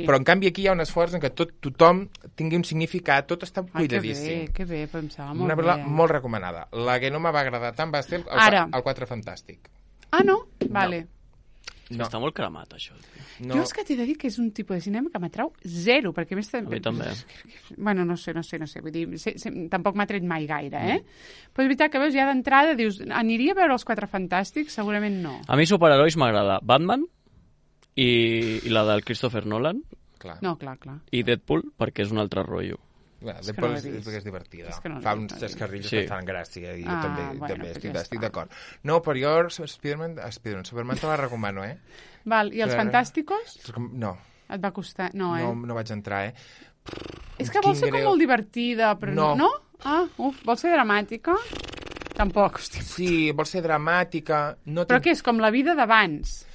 però en canvi aquí hi ha un esforç en què tothom tingui un significat, tot està cuidadíssim. Que bé, pensava molt bé. Una pel·lícula molt recomanada. La que no me va agradar tant va ser el 4 Fantàstic. Ah, no? Vale. No. Està molt cremat, això. No. Jo és que t'he de dir que és un tipus de cinema que m'atrau zero, perquè més... A mi també. Bueno, no sé, vull dir, tampoc m'ha tret mai gaire, Però és veritat que veus, ja d'entrada dius, aniria a veure els 4 Fantàstics? Segurament no. A mi superherois m'agrada Batman i la del Christopher Nolan. Clar. No, clar. I Deadpool, perquè és un altre rotllo. Deadpool és divertida. Fa uns xascarrillos que fan gràcia i jo també estic d'acord. No, però jo Superman te la recomano, Val, i els Fantàsticos? No. Et va costar? No, No vaig entrar, És que vol ser com molt divertida, però no? Ah, vol ser dramàtica? Tampoc, hòstia. Sí, vol ser dramàtica. Però què és, com la vida d'abans?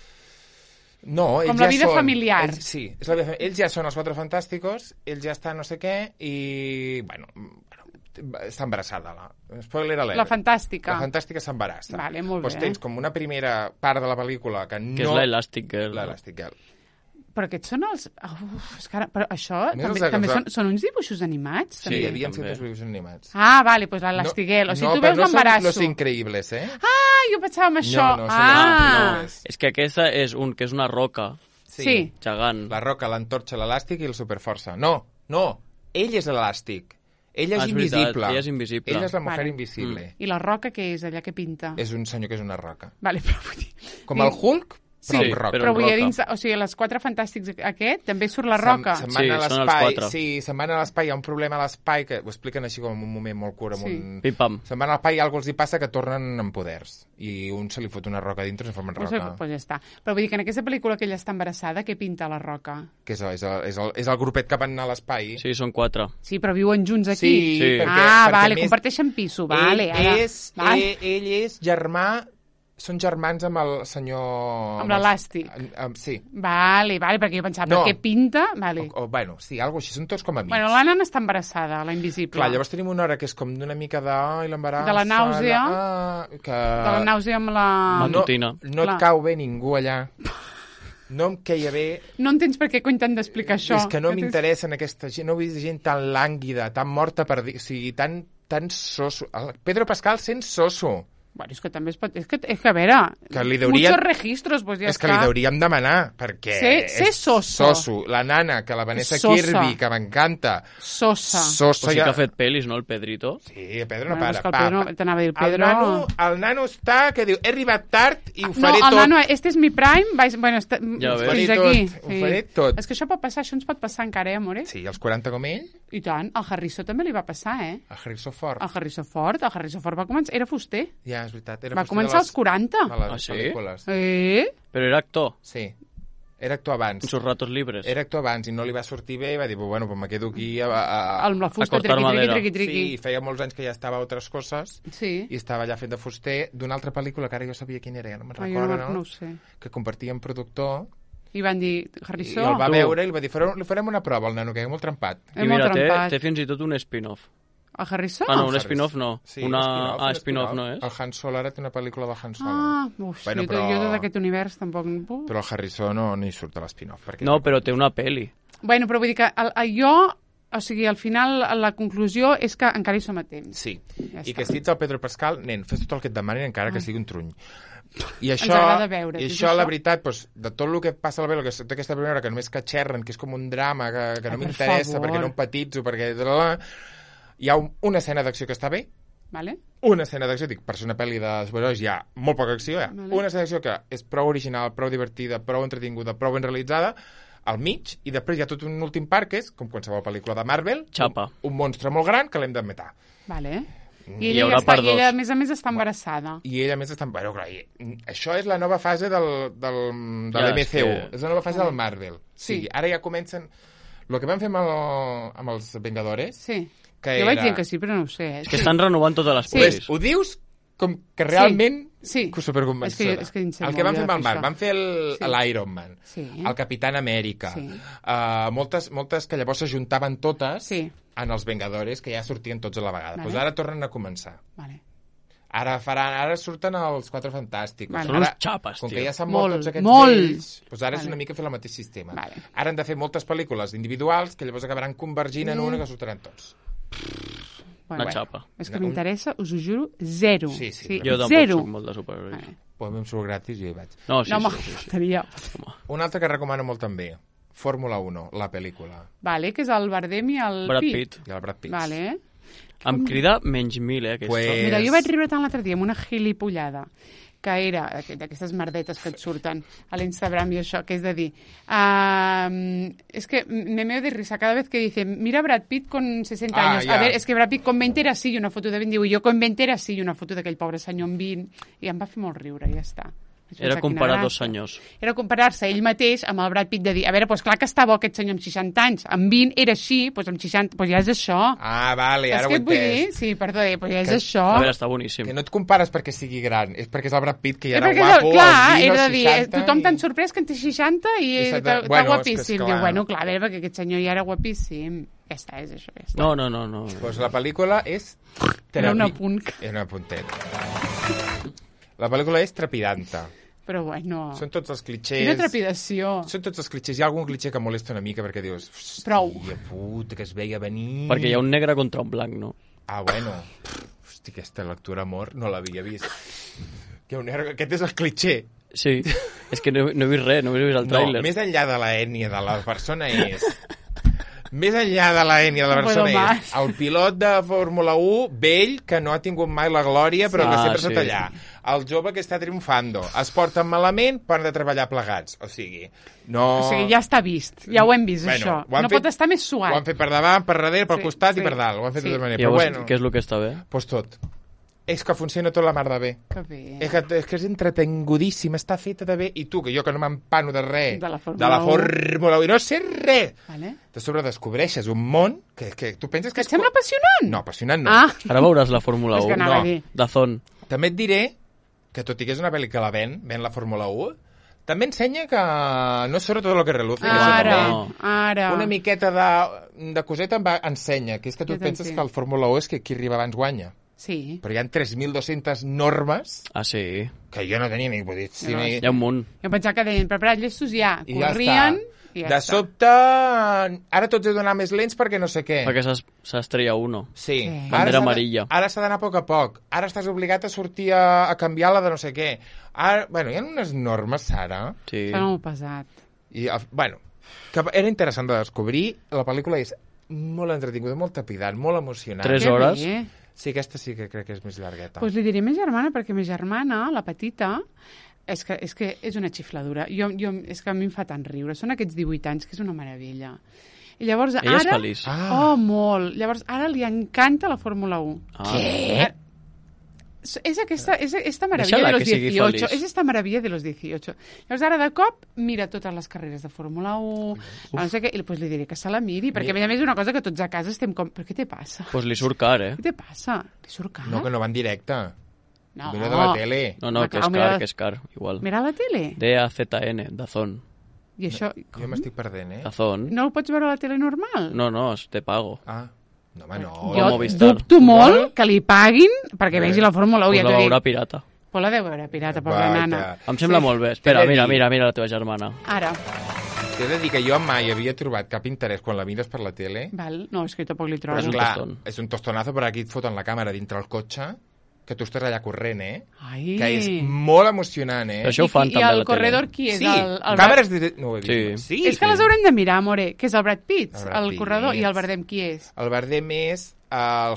No, ells com la vida familiar. Sí, és la vida familiar. Ells ja són els 4 Fantàsticos, ells ja estan no sé què, i, bueno, està embarassada. Spoiler alert. La Fantàstica. La Fantàstica s'embarassa. Vale, molt bé. Doncs tens com una primera part de la pel·lícula que no... Que és l'Elastic Girl. L'Elastic Girl. Però aquests són els... és que ara... Però això també són uns dibuixos animats? Sí, hi havia fet uns dibuixos animats. Ah, vale, doncs l'Elastic Girl. O sigui, tu veus l'embarasso. No són Los Increïbles, Ah, jo pensava en això. No. És que aquesta és una roca. Sí. Gegant. La roca, l'antorxa, l'elàstic i el superforça. No. Ell és l'elàstic. Ell és invisible. Ella és invisible. Ell és la mujer invisible. I la roca què és, allà que pinta? És un senyor que és una roca. Vale, però vull dir... Com el Hulk, sí, però vull dir, dins, o sigui, les 4 Fantàstics aquest, també surt la roca. Se'n van a l'espai, se'n van a l'espai, hi ha un problema a l'espai, que ho expliquen així com en un moment molt curt, Pim-pam. Se'n van a l'espai i algú els hi passa que tornen amb poders, i un se li fot una roca dintre i se formen roca. Pues ja està. Però vull dir que en aquesta pel·lícula que ella està embarassada, què pinta la roca? Que és el grupet que van anar a l'espai. Sí, són 4. Sí, però viuen junts aquí. Sí. Vale, comparteixen piso, vale. Ell és germà. Són germans amb el senyor... Amb l'elàstic. Sí. Vale, perquè jo pensava, però què pinta? Vale. Bueno, sí, alguna cosa així, són tots com amics. Bueno, la nana està embarassada, la invisible. Clar, llavors tenim una hora que és com d'una mica l'embaràs... De la nàusea. De la nàusea amb la... Matutina. No et cau bé ningú allà. No em queia bé... No entens per què intenten d'explicar això. És que no m'interessa en aquesta gent, no vull dir gent tan lànguida, tan morta per dir... O sigui, tan soso. El Pedro Pascal sent soso. Bueno, és que també es pot... És que a veure, que li deuríem... muchos registros, pues ja és que li deuríem demanar, perquè sé soso. La nana, que la Vanessa Sosa. Kirby, que m'encanta. Sosa. Pues sí que ha fet pel·lis, no, el Pedrito? Sí, el Pedro no Bueno, para. és que el Pedro, t'anava a dir, el Pedro... El nano està, que diu, he arribat tard i ho No, faré el tot. nano, este és mi prime, bueno, Ja ves. fins Ho faré aquí. tot, ho faré tot. És que això pot passar, això ens pot passar encara, amore? Sí, els 40 com ell, I tant, al Harrison també li va passar, a Harrison Ford. El Harrison Ford va començar... Era fuster. Ja, és veritat. Era Va fuster començar als 40. de les Ah, sí? pel·lícules. Però era actor, Sí. Era actor abans. en sus ratos libres. Era actor abans i no li va sortir bé i va dir, bueno, pues me quedo aquí Amb la fusta, cortar madera. triqui. Sí, feia molts anys que ja estava a altres coses Sí. i estava allà fent de fuster d'una altra pel·lícula que ara jo sabia quina era, ja no me'n Ah, jo recordo, no ho sé. que compartíem productor I van dir, i Harrison... el va Tu. veure i li va dir, li farem una prova al nano, que és molt trempat. És I molt mira, trempat. té fins i tot un spin-off. El Harrison? Ah, no, un spin-off no. Sí, Una... un spin-off no és? El Han Solo ara té una pel·lícula de Han Solo. Ah, uf, Bueno, jo però- tot aquest univers tampoc... Però el Harrison no hi surt a l'espin-off. perquè- No, però té una pel·li. Bueno, però vull dir que jo... O sigui, al final, la conclusió és que encara hi som a temps. Sí, Ja i està. que si ets el Pedro Pascal, nen, fes tot el que et demanin encara que sigui un truny. I Ens això, agrada veure, i és això, això? la veritat, doncs, de tot el que passa a la pel·lícula, que aquesta primera hora, que només que xerren, que és com un drama, que no per m'interessa, favor. perquè no empatitzo, perquè... Hi ha una escena d'acció que està bé, Vale? una escena d'acció, dic, per ser una pel·li de superherois hi ha molt poca acció, Vale. una escena d'acció que és prou original, prou divertida, prou entretinguda, prou ben realitzada, al mig, i després hi ha tot un últim part que és, com qualsevol pel·lícula de Marvel, Xapa. un monstre molt gran que l'hem de matar. Vale. Hi I ella, haurà ja està, part i ella, a dos. més, està embarassada. I ella, a més, està... Bueno, clar, això és la nova fase de Ja, l'MCU. és que- És la nova fase del Marvel. Sí. Sí. Ara ja comencen... El que vam fer amb els Vengadores, Sí. que Jo vaig era... dient que sí, però no ho sé. És que estan renovant totes les Sí. pel·lis. Pues, ho dius com que realment... Sí. Que superconvencedora. És que en sé el que molt van fer de amb el Marc, això. van fer Sí. l'Iron Man, Sí. el Capitán Amèrica, Sí. moltes que llavors s'ajuntaven totes Sí. en els Vengadores, que ja sortien tots a la vegada. Vale. Pues ara tornen a començar. Vale. Ara surten els Quatre Fantàstics. Vale. Són Ara, uns xapes, com tio. que ja s'han mort Molt, tots aquests molt. vells, doncs ara és Vale. una mica fer el mateix sistema. Vale. Ara han de fer moltes pel·lícules individuals que llavors acabaran convergint en una que sortiran tots. Una xapa. És que m'interessa, us ho juro, zero. Sí, sí, Jo tampoc zero. soc molt de superherois. Vale. Pues em surt gratis i jo hi vaig. No, sí, No, home, sí. faltaria. Un altre que recomano molt també, Fórmula 1, la pel·lícula. Vale, que és el Bardem i el Brad Pitt. Pitt. I el Brad Pitt. Vale. Em crida menys 1000, aquesta. Pues- Mira, jo vaig riure tant l'altre dia amb una gilipollada que era d'aquestes merdetes que et surten a l'Instagram i això, que és de dir es que me meo de risa cada vez que dice mira Brad Pitt con 60 Ah, años, ja. a ver, es que Brad Pitt con 20 era així i una foto de 20, diu, jo con 20 era així i una foto d'aquell pobre senyor amb 20 i em va fer molt riure, ja està. Vaig Era pensar, comparar quina 2 gràcia. senyors. Era comparar-se ell mateix amb el Brad Pitt de dir, a veure, doncs clar que està bo aquest senyor amb 60 anys, amb 20 era així, doncs amb 60, doncs ja és això. Ah, vale, ara Saps ho què he et vull dir? entès. Sí, perdó, doncs ja és Que- això. A veure, està boníssim. Que no et compares perquè sigui gran, és perquè és el Brad Pitt, que ja Sí, era perquè guapo, clar, als 20 era o de dir, 60 tothom i- tan sorprès que en té 60 i I s'ha de- està bueno, és que guapíssim. és clar. Diu, bueno, clar, a veure, perquè aquest senyor ja era guapíssim. Ja està, és això, ja està. No. Pues la pel·lícula és... Era un trepi- apunt. Era un apuntet. La pel·lícula és trepidanta. Però bueno, Són tots els clitxers... quina trepidació. Són tots els clitxers. Hi ha algun clitxer que molesta una mica perquè dius... Prou. Hòstia puta, que es veia venir... Perquè hi ha un negre contra un blanc, no? Ah, bueno. Hosti, aquesta lectura amor no l'havia vist. Que un negre... Aquest és el clitxer. Sí. És que no he vist res, no he vist el No, tràiler. més enllà de l'ètnia de la persona és... Més enllà de l'ètnia de la No puedo persona más. és el pilot de Fórmula 1 vell que no ha tingut mai la glòria però que Ah, sempre sí. està allà. El jove que està triomfando. Es porten malament per de treballar plegats. O sigui, no... O sigui, ja està vist, ja ho hem vist, això. ho han No pot estar més suat. Ho han fet per davant, per darrere, pel Sí, costat sí, i per dalt. Ho han fet sí. de tota manera. I Però llavors, bueno, què és el que està bé? doncs tot. És que funciona tot la mar de bé. Que bé. És que és entretengodíssim, està feta de bé. I tu, que jo que no m'empano de res, De la Fórmula 1. Fórmula 1, i no sé res, Vale. de sobre descobreixes un món que tu penses Que que et sembla apassionant? No, apassionant no. Ah, Ara veuràs la Fórmula és que 1. anava no. a dir. Dazón. També et diré que tot i que és una pel·li que la ven la Fórmula 1, també ensenya que no és sobre tot el que reluce. que això Ara, també ara. una miqueta de coseta ensenya, que és que tu Jo et penses t'entenc. que el Fórmula 1 és que qui arriba abans guanya. Sí. Però hi ha 3.200 normes Ah, sí. que jo no tenia ni... Vull dir, No, ni... Hi ha un munt. Jo pensava que deien, preparat llestos ja, I ja corrien... està. De sobte, ara tots he d'anar més lents perquè no sé què. Perquè s'estrella uno. Sí. Bandera amarilla. Ara s'ha d'anar a poc a poc. Ara estàs obligat a sortir a canviar la de no sé què. Ara, bueno, hi ha unes normes, Sara. Sí. Està molt pesat. I, bueno, que era interessant de descobrir. La pel·lícula és molt entretinguda, molt trepidant, molt emocionant. 3 hores. Bé. Sí, aquesta sí que crec que és més llargueta. Doncs li diré a ma germana, perquè ma germana, la petita, és que és una xifladura. És que a mi em fa tant riure. Són aquests 18 anys, que és una meravella. I llavors, Ella és ara... feliç. Oh, molt. Llavors, ara li encanta la Fórmula 1. Què? És esta maravilla de los 18. És esta maravilla de los 18. Llavors, ara de cop, mira totes les carreres de Fórmula 1, no sé què, i doncs li diré que se la miri, perquè a més és una cosa que tots a casa estem com... Però què te passa? Pues li surt car, Què te passa? Li surt car? No, que no va en directe. No. Mira de la tele. No, que és car, igual. Mira la tele. DAZN, Dazón. I això... Jo m'estic perdent, Dazón. No ho pots veure a la tele normal? No, és de pago. Ah, no, home, no. Jo Movistar. dubto molt que li paguin perquè vegi la Fórmula 1. Pues la veurà pirata. Pues la deu veure pirata, pobra nana. Em sembla molt bé. Espera, mira la teva germana. Ara. T'he de dir que jo mai havia trobat cap interès quan la mires per la tele. Val. No, és que tampoc li Però trobo. clar, és un tostonazo, però aquí et foten la càmera dintre el cotxe, que tu estàs allà corrent, Ai. Que és molt emocionant, Però això ho fan també I a el la corredor tele. qui és? Sí, El càmeres de... No ho he vist. Sí. És que les haurem de mirar, amore, que és el Brad Pitt, El Brad el Pitt. corredor, i el Bardem qui és? El Bardem és el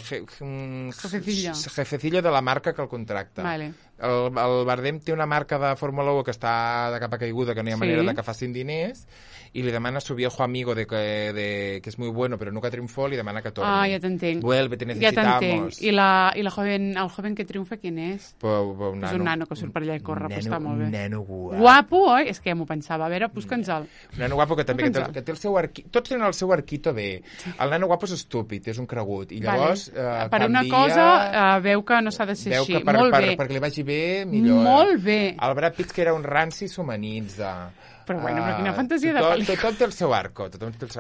jefecillo de la marca que el contracta. Vale. El Bardem té una marca de Fórmula 1 que està de capa caiguda, que no hi ha manera de que facin diners, y le demana a su viejo amigo que es muy bueno, pero nunca triunfó, le demana que torne. Ah, ja t'entenc. Vuelve, te Ja necesitamos. t'entenc. I el joven que triomfa, quin és? Un És un nano que surt per allà i corre, però està molt bé. Un nano guapo. Guapo, oi? És que ja m'ho pensava. A veure, busca'ns-el. Un nano guapo que també que té el seu arquito. Tots tenen el seu arquito bé. El nano guapo és estúpid, és un cregut. I llavors per una cosa veu que no s'ha de ser així. Molt bé. Perquè li vagi bé, millor. Molt bé. El Brad Pitt, que era un ranci, s'humanitza. Però bueno, però quina fantasia de pel·lícula. Tothom té el seu arco.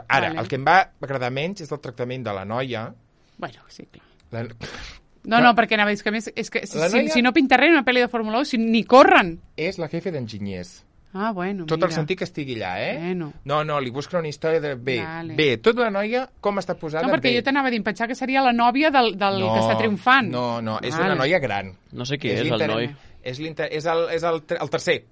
Ara, el que em va agradar menys és el tractament de la noia. Bueno, sí, clar. No, perquè anava a dir que més... És que si no pinta res en una pel·li de Fórmula 1, ni corren. És la jefe d'enginyers. Ah, bueno, Tot el sentit que estigui allà, Bueno. No, li busca una història de... Bé, tota la noia, com està posada... No, perquè jo t'anava a dir, pensar que seria la nòvia del que està triomfant. No, és una noia gran. No sé qui és el noi. És el tercer.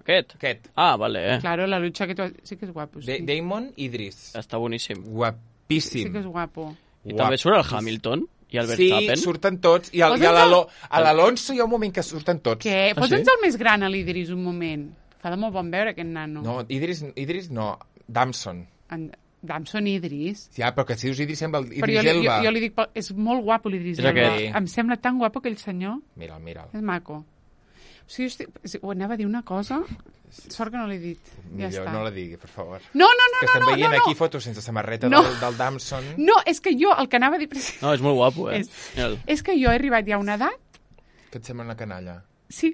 Aquest? Ah, vale, Claro, la lucha que tu... Sí que és guapo, sí. Damon Idris. Està boníssim. Guapíssim. Sí que és guapo. I també surt el Hamilton i el Verstappen. Sí, surten tots. I a l'Alonso hi ha un moment que surten tots. Què? Posa'ns el més gran a l'Idris un moment. Fa de molt bon veure aquest nano. No, Idris no. Damson. Damson Idris. Ja, però que si dius Idris sembla Idris però Elba. jo li dic, és molt guapo l'Idris Elba. Em sembla tan guapo aquell senyor. Mira'l. És maco. O sigui, ho anava a dir una cosa, sort que no l'he dit. Ja està. No la digui, per favor. No. Que estem veient aquí fotos sense samarreta del Damson. No, és que jo el que anava a dir... No, és molt guapo, És que jo he arribat ja a una edat... Que et sembla una canalla. Sí.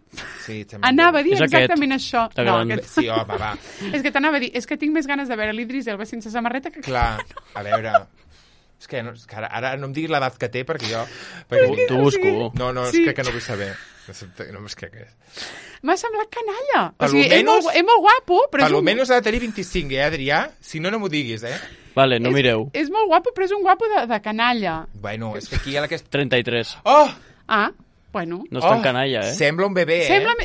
Et sembla anava a dir exactament això. No, sí, home, va. És que t'anava a dir, és que tinc més ganes de veure l'Idris Elba sense samarreta que... Clar, a veure... És que ara no em diguis l'edat que té, perquè jo... T'ho busco. No, és que no vull saber. No és que és. M'ha semblat canalla. O sigui, és molt guapo, però és almenys ha de tenir 25, Adrià? Si no, no m'ho diguis, Vale, no mireu. És molt guapo, però és un guapo de canalla. Bueno, és que aquí hi ha aquesta... 33. Oh! Ah, bueno. No és tan canalla, Sembla un bebè,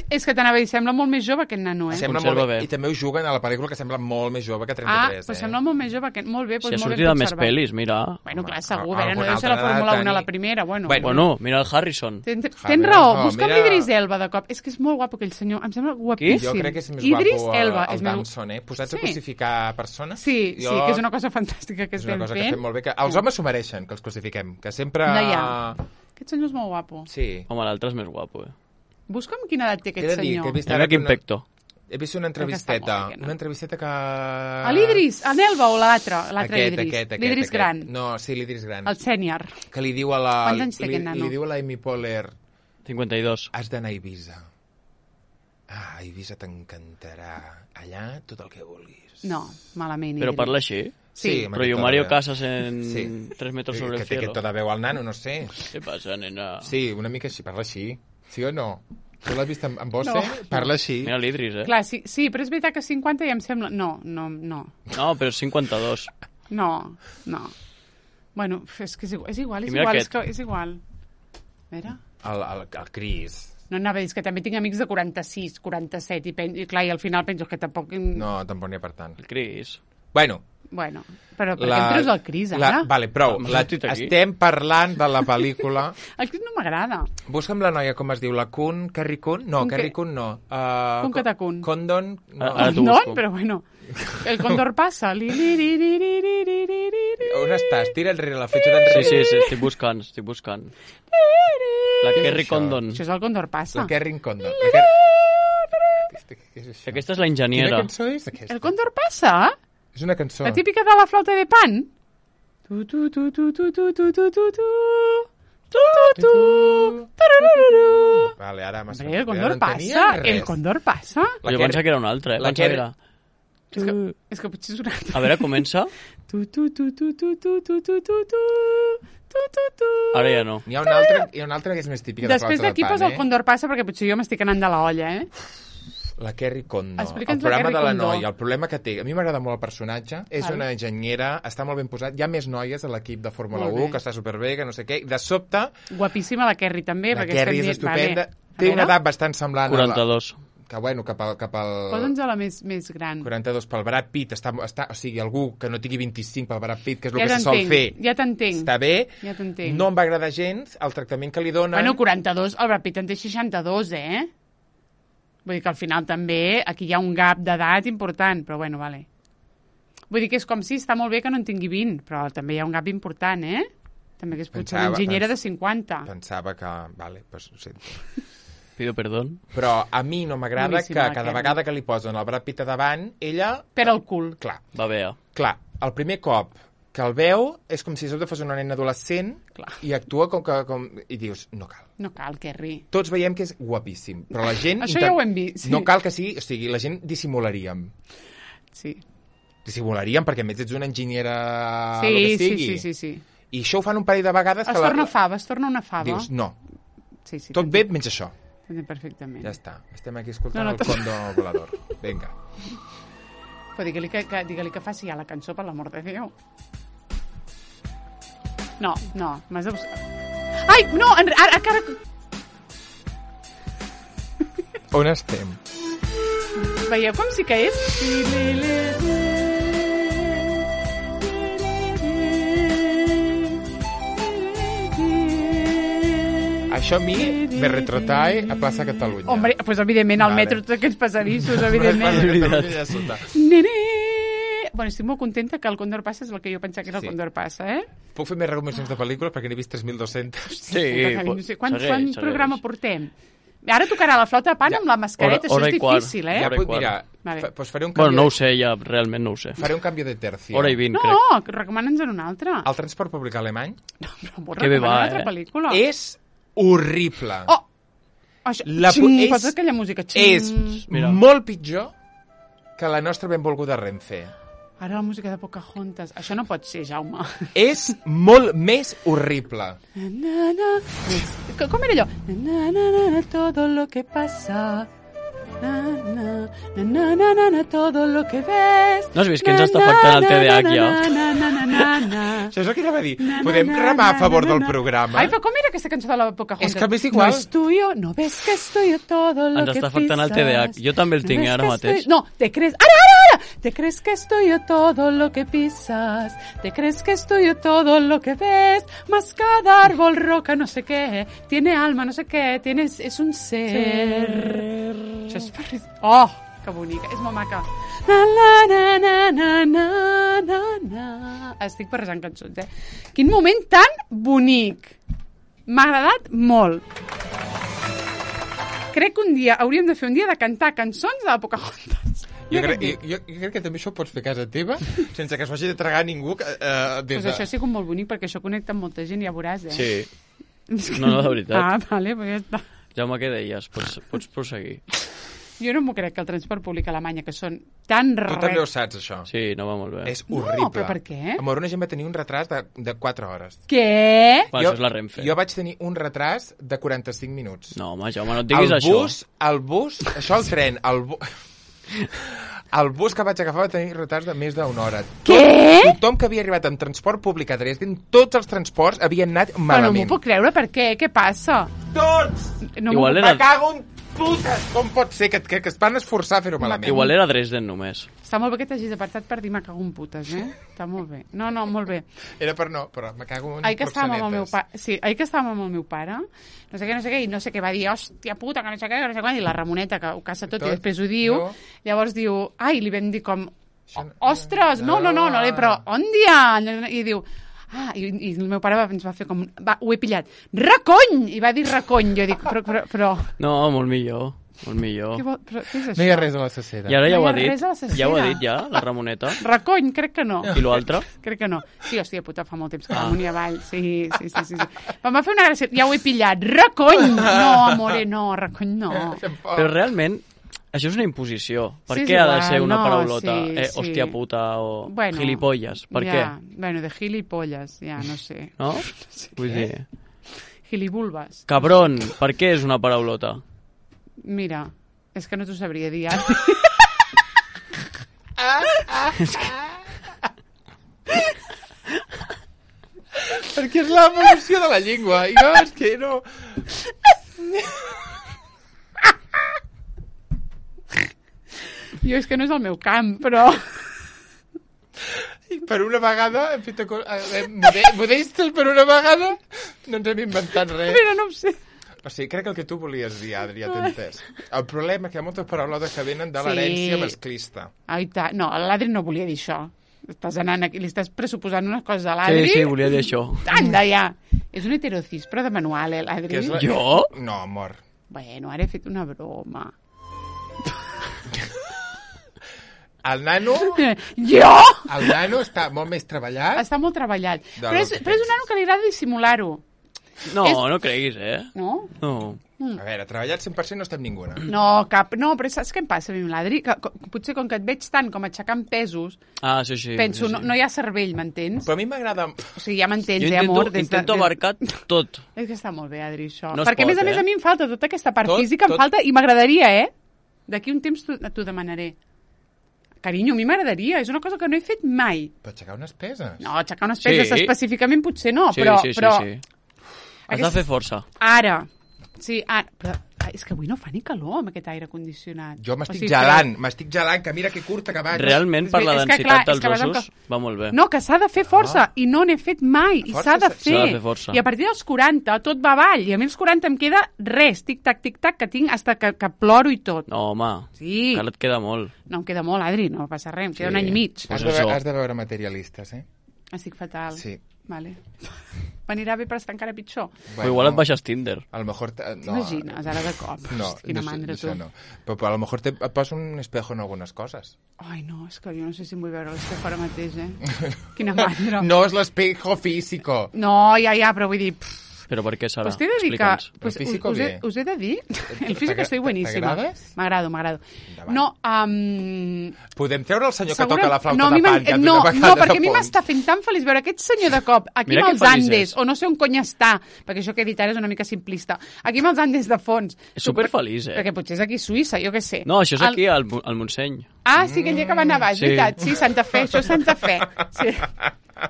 És que t'anava a dir, sembla molt més jove aquest nano, Sembla molt bé. I també ho juguen a la pel·lícula que sembla molt més jove que 33, però sembla molt més jove que... Molt bé, si ha sortit de més pel·lis, mira. Bueno, clar, segur, no deu ser la Fórmula 1 a la primera, bueno. Bueno, mira el Harrison. Tens raó, busca'm l'Idris Elba de cop. És que és molt guapo aquell senyor, em sembla guapíssim. Jo crec que és més Idris guapo Elba, el Damson, Posats a crucificar persones. Sí, que és una cosa fantàstica que estem fent. És una cosa que fem molt bé. Els homes s'ho mereixen, que els crucifiquem, que sempre... Aquest senyor és molt guapo. Sí. Home, l'altre és més guapo, Busca'm quina edat té aquest senyor. Mira quin pecto. He vist una entrevisteta. Una entrevisteta que... A l'Idris, a l'Elba o l'altre Idris? L'Idris gran. No, sí, l'Idris gran. El sènior. Que li diu a la... Quants anys té aquest nano? Li diu a la Amy Poehler... 52. Has d'anar a Eivissa. A Eivissa t'encantarà. Allà, tot el que vulguis. No, malament. Però parla així? Sí. Però jo Mario Casas en 3 metros sobre el cielo. Que té tota veu al nano, no sé. Què passa, nena? Sí, una mica així, parla així. Sí o no? Tu l'has vist en Bosse? No. Parla així. Mira l'Idris, Clar, sí, però és veritat que 50 ja em sembla... No. No, però 52. No. Bueno, és que és igual. És igual. Mira. El Cris. No anava a dir, és que també tinc amics de 46, 47, i clar, i al final penso que tampoc... No, tampoc n'hi ha per tant. El Cris. Bueno, però per què em treus el Cris, ara? Vale, prou. Estem parlant de la pel·lícula... El Cris no m'agrada. Busca'm la noia, com es diu, la Kun? Carrie Kun? No, Carrie Kun no. Kun Katakun. Condon? No. Condon? Però bueno, el Condor passa. On estàs? Tira enrere la fletxa d'enrere. Sí, estic buscant. La Kerry Condon. Això és el Condor passa. La Kerry Condon. Aquesta és la enginyera. Quina cançó és aquesta? El Condor passa? És una cançó. La típica de la flauta de pan? Vale, ara m'ha el Condor passa. El Condor passa. Jo pensava que era una altra, La que era... És que potser és una altra. A veure, comença. Ara ja no. Hi ha una altra que és més típica de flauta de pan. Després d'aquí posa el Condor passa, perquè potser jo m'estic anant de la olla, La Kerry Condon. Explica'ns el programa la Kerry de la Condon. noia. El problema que té... A mi m'agrada molt el personatge. És una enginyera, està molt ben posat. Hi ha més noies a l'equip de Fórmula 1, que està superbé, que no sé què. De sobte... Guapíssima la Kerry, també. La Kerry és estupenda. Té una edat bastant semblant 42. Que bueno, cap al... Posa'ns a la més gran. 42 pel Brad Pitt. O sigui, algú que no tingui 25 pel Brad Pitt, que és el que se sol fer. Ja t'entenc. Està bé. Ja t'entenc. No em va agradar gens el tractament que li donen. Bueno, 42, el Brad Pitt en té 62, Vull dir que al final també aquí hi ha un gap d'edat important, però bueno, vale. Vull dir que és com si està molt bé que no en tingui 20, però també hi ha un gap important, També que és potser una enginyera de 50. Pensava que... Vale, pues ho sento. Pido perdón. Però a mi no m'agrada que cada vegada que li posen el Brad Pitt a davant, ella... Per al cul. Clar. Va bé. Clar, el primer cop que el veu és com si fos una nena adolescent. Clar. I actua i dius, no cal. No cal, Kerry. Tots veiem que és guapíssim, però la gent... Això ja ho hem vist. Sí. No cal que sigui... O sigui, la gent dissimularíem. Sí. Dissimularíem perquè a més ets una enginyera... Sí. I això ho fan un parell de vegades... Es torna una fava. Dius, no. Sí, tot bé menys això. Perfectament. Ja està. Estem aquí escoltant el Condor volador. Vinga. Però digue-li que faci ja la cançó, per l'amor de Déu. No, m'has de buscar... Ai, no, ara... On estem? Veieu com sí que és? Això a mi me retrotrae a Plaça Catalunya. Hombre, pues evidentment, al metro, tots aquests passadissos, evidentment. Nene! Bueno, estic molt contenta que el Condor passa és el que jo pensava que era el Condor passa, Puc fer més recomanacions de pel·lícules perquè n'he vist 3.200. Sí, quant programa portem? Ara tocarà la flauta de pan amb la mascareta, això és difícil, Ja, mira, pues faré un canvi... Bueno, no ho sé, ja, realment no ho sé. Faré un canvi de tercio. Hora i 20, crec. No, recomana'ns en una altra. El transport públic alemany? No, però recomana una altra pel·lícula. És horrible. Oh! Posa aquella música. És molt pitjor que la nostra benvolguda Renfe. Ara la música de Pocahontas. Això no pot ser, Jaume. És molt més horrible. Com era allò? Todo lo que pasa... todo lo que ves... No has vist que ens està afectant el TDAH ja? Això és el que anava a dir. Podem remar a favor del programa? Ai, però com era aquesta cançó de la Pocahontas? És que m'és igual. No es tuyo, no ves que es tuyo todo lo que pisas. Ens està afectant el TDAH. Jo també el tinc ara mateix. No, te crees... Ara! Te crees que es tuyo todo lo que pisas. Te crees que es tuyo todo lo que ves. Más cada árbol, roca, no sé qué. Tiene alma, no sé qué. Es un ser. Això és per... Oh, que bonica. És molt maca. Estic barrejant cançons, Quin moment tan bonic. M'ha agradat molt. Crec que un dia hauríem de fer un dia de cantar cançons de la Pocahontas. Jo crec que també això ho pots fer a casa teva sense que s'ho hagi de tragar ningú. Pues això ha sigut molt bonic perquè això connecta amb molta gent, ja veuràs, Sí. No, de veritat. Vale, pues ja està. Jaume, què deies? Pots proseguir. Jo no m'ho crec que el transport públic a Alemanya, que són tan Tu també ho saps, això. Sí, no va molt bé. És horrible. No, però per què? Amor, una gent va tenir un retras de 4 hores. Què? Això és la Renfe. Jo vaig tenir un retras de 45 minuts. No, home, Jaume, no et diguis això. El bus, això el tren, el bus que vaig agafar va tenir retards de més d'una hora. Què? Tothom que havia arribat amb transport públic a Dresden, tots els transports havien anat Però no malament. m'ho puc creure, per què? Què passa? Tots! No Igual m'ho- era- Me cago en putes! Com pot ser que es van esforçar a fer-ho malament? Igual era Dresden només. Està molt bé que t'hagis apartat per dir me cago en putes, Està molt bé. No, molt bé. Era per no, però me cago en Ahir que estàvem amb el meu proxenetes. pare, sí, ahir que estàvem amb el meu pare, no sé què, i no sé què va dir, hòstia puta, que no sé què, que no sé quan, i la Ramoneta, que ho caça tot, i després ho diu, No. llavors diu, ai, li vam dir com, Això no- ostres, no, però on dia? I diu, i el meu pare ens va fer com, ho he pillat, recony! I va dir recony, jo dic, però No, molt millor. Molt millor. però què és això? No hi ha res a la cacera. I ara ja No ho hi ha ha dit. res a la cacera. Ja ho ha dit, ja, la Ramoneta. Recony, crec que no. I l'altre? Crec que no. Sí, hòstia puta, fa molt temps que vam unir avall. Sí. Em va fer una gràcia. Ja ho he pillat. Recony! No, amore, no. Recony no. Però realment, això és una imposició. Per Sí, és què ha de igual, ser una no, paraulota? sí. Hòstia puta o Bueno, gilipolles. Per ja, què? Bueno, de gilipolles, ja, no sé. No? Vull dir... Gilibulbes. Cabron, per què és una paraulota? Mira, és que no t'ho sabria dir ara. Perquè és l'evolució de la llengua. I no, és que no... Jo és que no és el meu camp, però... I per una vegada hem fet... Modestos, per una vegada no ens hem inventat res. Mira, no ho sé. O sigui, crec que el que tu volies dir, Adri, ja t'he entès. El problema és que hi ha moltes paraulotes que venen de Sí. l'herència masclista. Ai, no, l'Adri no volia dir això. Estàs anant aquí, li estàs pressuposant unes coses a l'Adri. Sí, volia dir això. Anda, ja. És un heterocis, però de manual, l'Adri. Que és la... Jo? No, amor. Bueno, ara he fet una broma. El nano... Jo? El nano està molt més treballat. Està molt treballat. De Però lo és que un nano que li agrada dissimular-ho. No, És- no creguis, No? No. A veure, treballat 100% no estem ninguna. No, no, però saps què em passa a mi amb l'Adri? Que potser com que et veig tant com aixecant pesos, Ah, sí. penso, sí. no hi ha cervell, m'entens? Però a mi m'agrada... O sigui, ja m'entens, Jo amor? intento abarcar tot. És que està molt bé, Adri, això. No es Perquè, pot, a més, a mi em falta tota aquesta part Tot, física, em tot. falta, i m'agradaria, D'aquí un temps t'ho demanaré. Carinyo, a mi m'agradaria, és una cosa que no he fet mai. Per aixecar unes peses. No, aixecar unes peses Sí. específicament potser no, Sí, però... sí. Has de fer força. Ara. Sí, però és que avui no fa ni calor amb aquest aire condicionat. Jo m'estic O sigui, gelant, que mira que curta que vaig. Realment, per la és que, densitat clar, és que dels vas amb ossos, va molt bé. No, que s'ha de fer força, i no n'he fet mai, i Força s'ha de s'ha fer. de fer força. I a partir dels 40 tot va avall, i a mi als 40 em queda res, tic-tac, que tinc hasta que ploro i tot. No, home, Sí. encara et queda molt. No em queda molt, Adri, no passa res, em queda Sí. un any i mig. Has Pues de, això. has de veure materialistes, Estic fatal. Sí. Vale. M'anirà bé per estar encara pitjor. Però igual et baixes Tinder. A lo mejor... No, T'imagines, ara de cop. No, Quina no, mandra, això tu. no. Però a lo mejor et poso un espejo en algunes coses. Ai, no, és que jo no sé si em vull veure l'espejo ara mateix, Quina mandra. No és l'espejo físico. No, ja, però vull dir... Però per què, Sara? Pues t'he de dir que... Explica'ns. Pues, El físico us bien. he de dir... El físico estoy buenísima. T'agrades? M'agrado. Endavant. No, Podem treure el senyor que segura- toca la flauta no, a de mi pan, que no, d'una no, vegada perquè a de mi fons. m'està fent tan feliç veure aquest senyor de cop aquí Mira amb que els feliç Andes, és. o no sé on cony està, perquè això que he dit ara és una mica simplista. Aquí amb els Andes de fons. És superfeliç, Perquè potser és aquí a Suïssa, jo què sé. No, això és aquí, al Montseny. Ah, sí, aquell dia que va nevar, és Sí. veritat. Sí, Santa Fe, això és Santa Fe. Sí.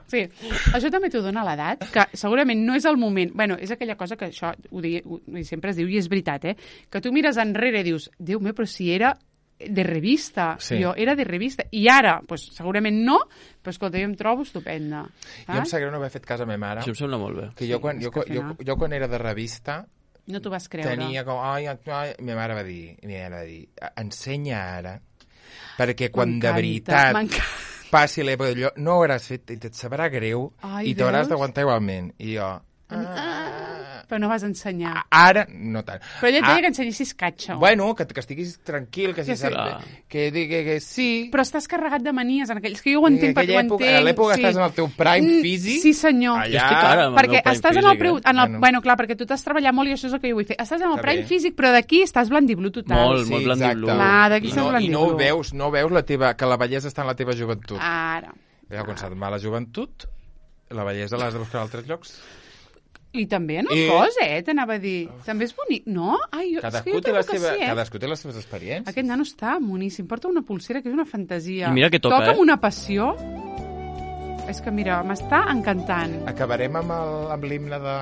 Sí, això també t'ho dona l'edat, que segurament no és el moment. Bueno, és aquella cosa que això sempre es diu, i és veritat, que tu mires enrere i dius, Déu meu, però si era de revista, Sí. jo era de revista, i ara, pues, segurament no, però escolta, jo em trobo estupenda. Jo em sap greu no haver fet cas a ma mare, Això em sembla molt bé. que jo quan era de revista No t'ho vas creure. tenia com... Ai, ma mare va dir, ensenya ara, perquè quan de M'encanta, veritat m'encanta. passi l'època d'allò, no ho hauràs fet i et sabrà greu Ai, i t'hauràs veus? d'aguantar igualment. I jo... Però no vas ensenyar. Ara, no tant. Però ella et deia que ensenyessis catxo. Bueno, que estiguis tranquil, que sí. Però estàs carregat de manies en aquells... Que jo ho entenc, perquè ho entenc. A l'època estàs en el teu prime físic. Sí, senyor. Jo estic ara amb el perquè meu prime estàs físic. Bueno, clar, perquè tu t'has treballat molt i això és el que jo vull fer. Estàs en el prime físic, però d'aquí estàs blandiblu total. Molt blandiblu. Clar, d'aquí estàs blandiblu. No veus que la bellesa està en la teva joventut. Ara. Quan se't va la joventut, la bellesa l'has de buscar a altres llocs. I també en el cos, t'anava a dir. També és bonic, no? Ai, cadascú té les seves experiències. Aquest nano està moníssim. Porta una pulsera que és una fantasia. I mira que toca, amb una passió. És que, mira, m'està encantant. Acabarem amb l'himne de...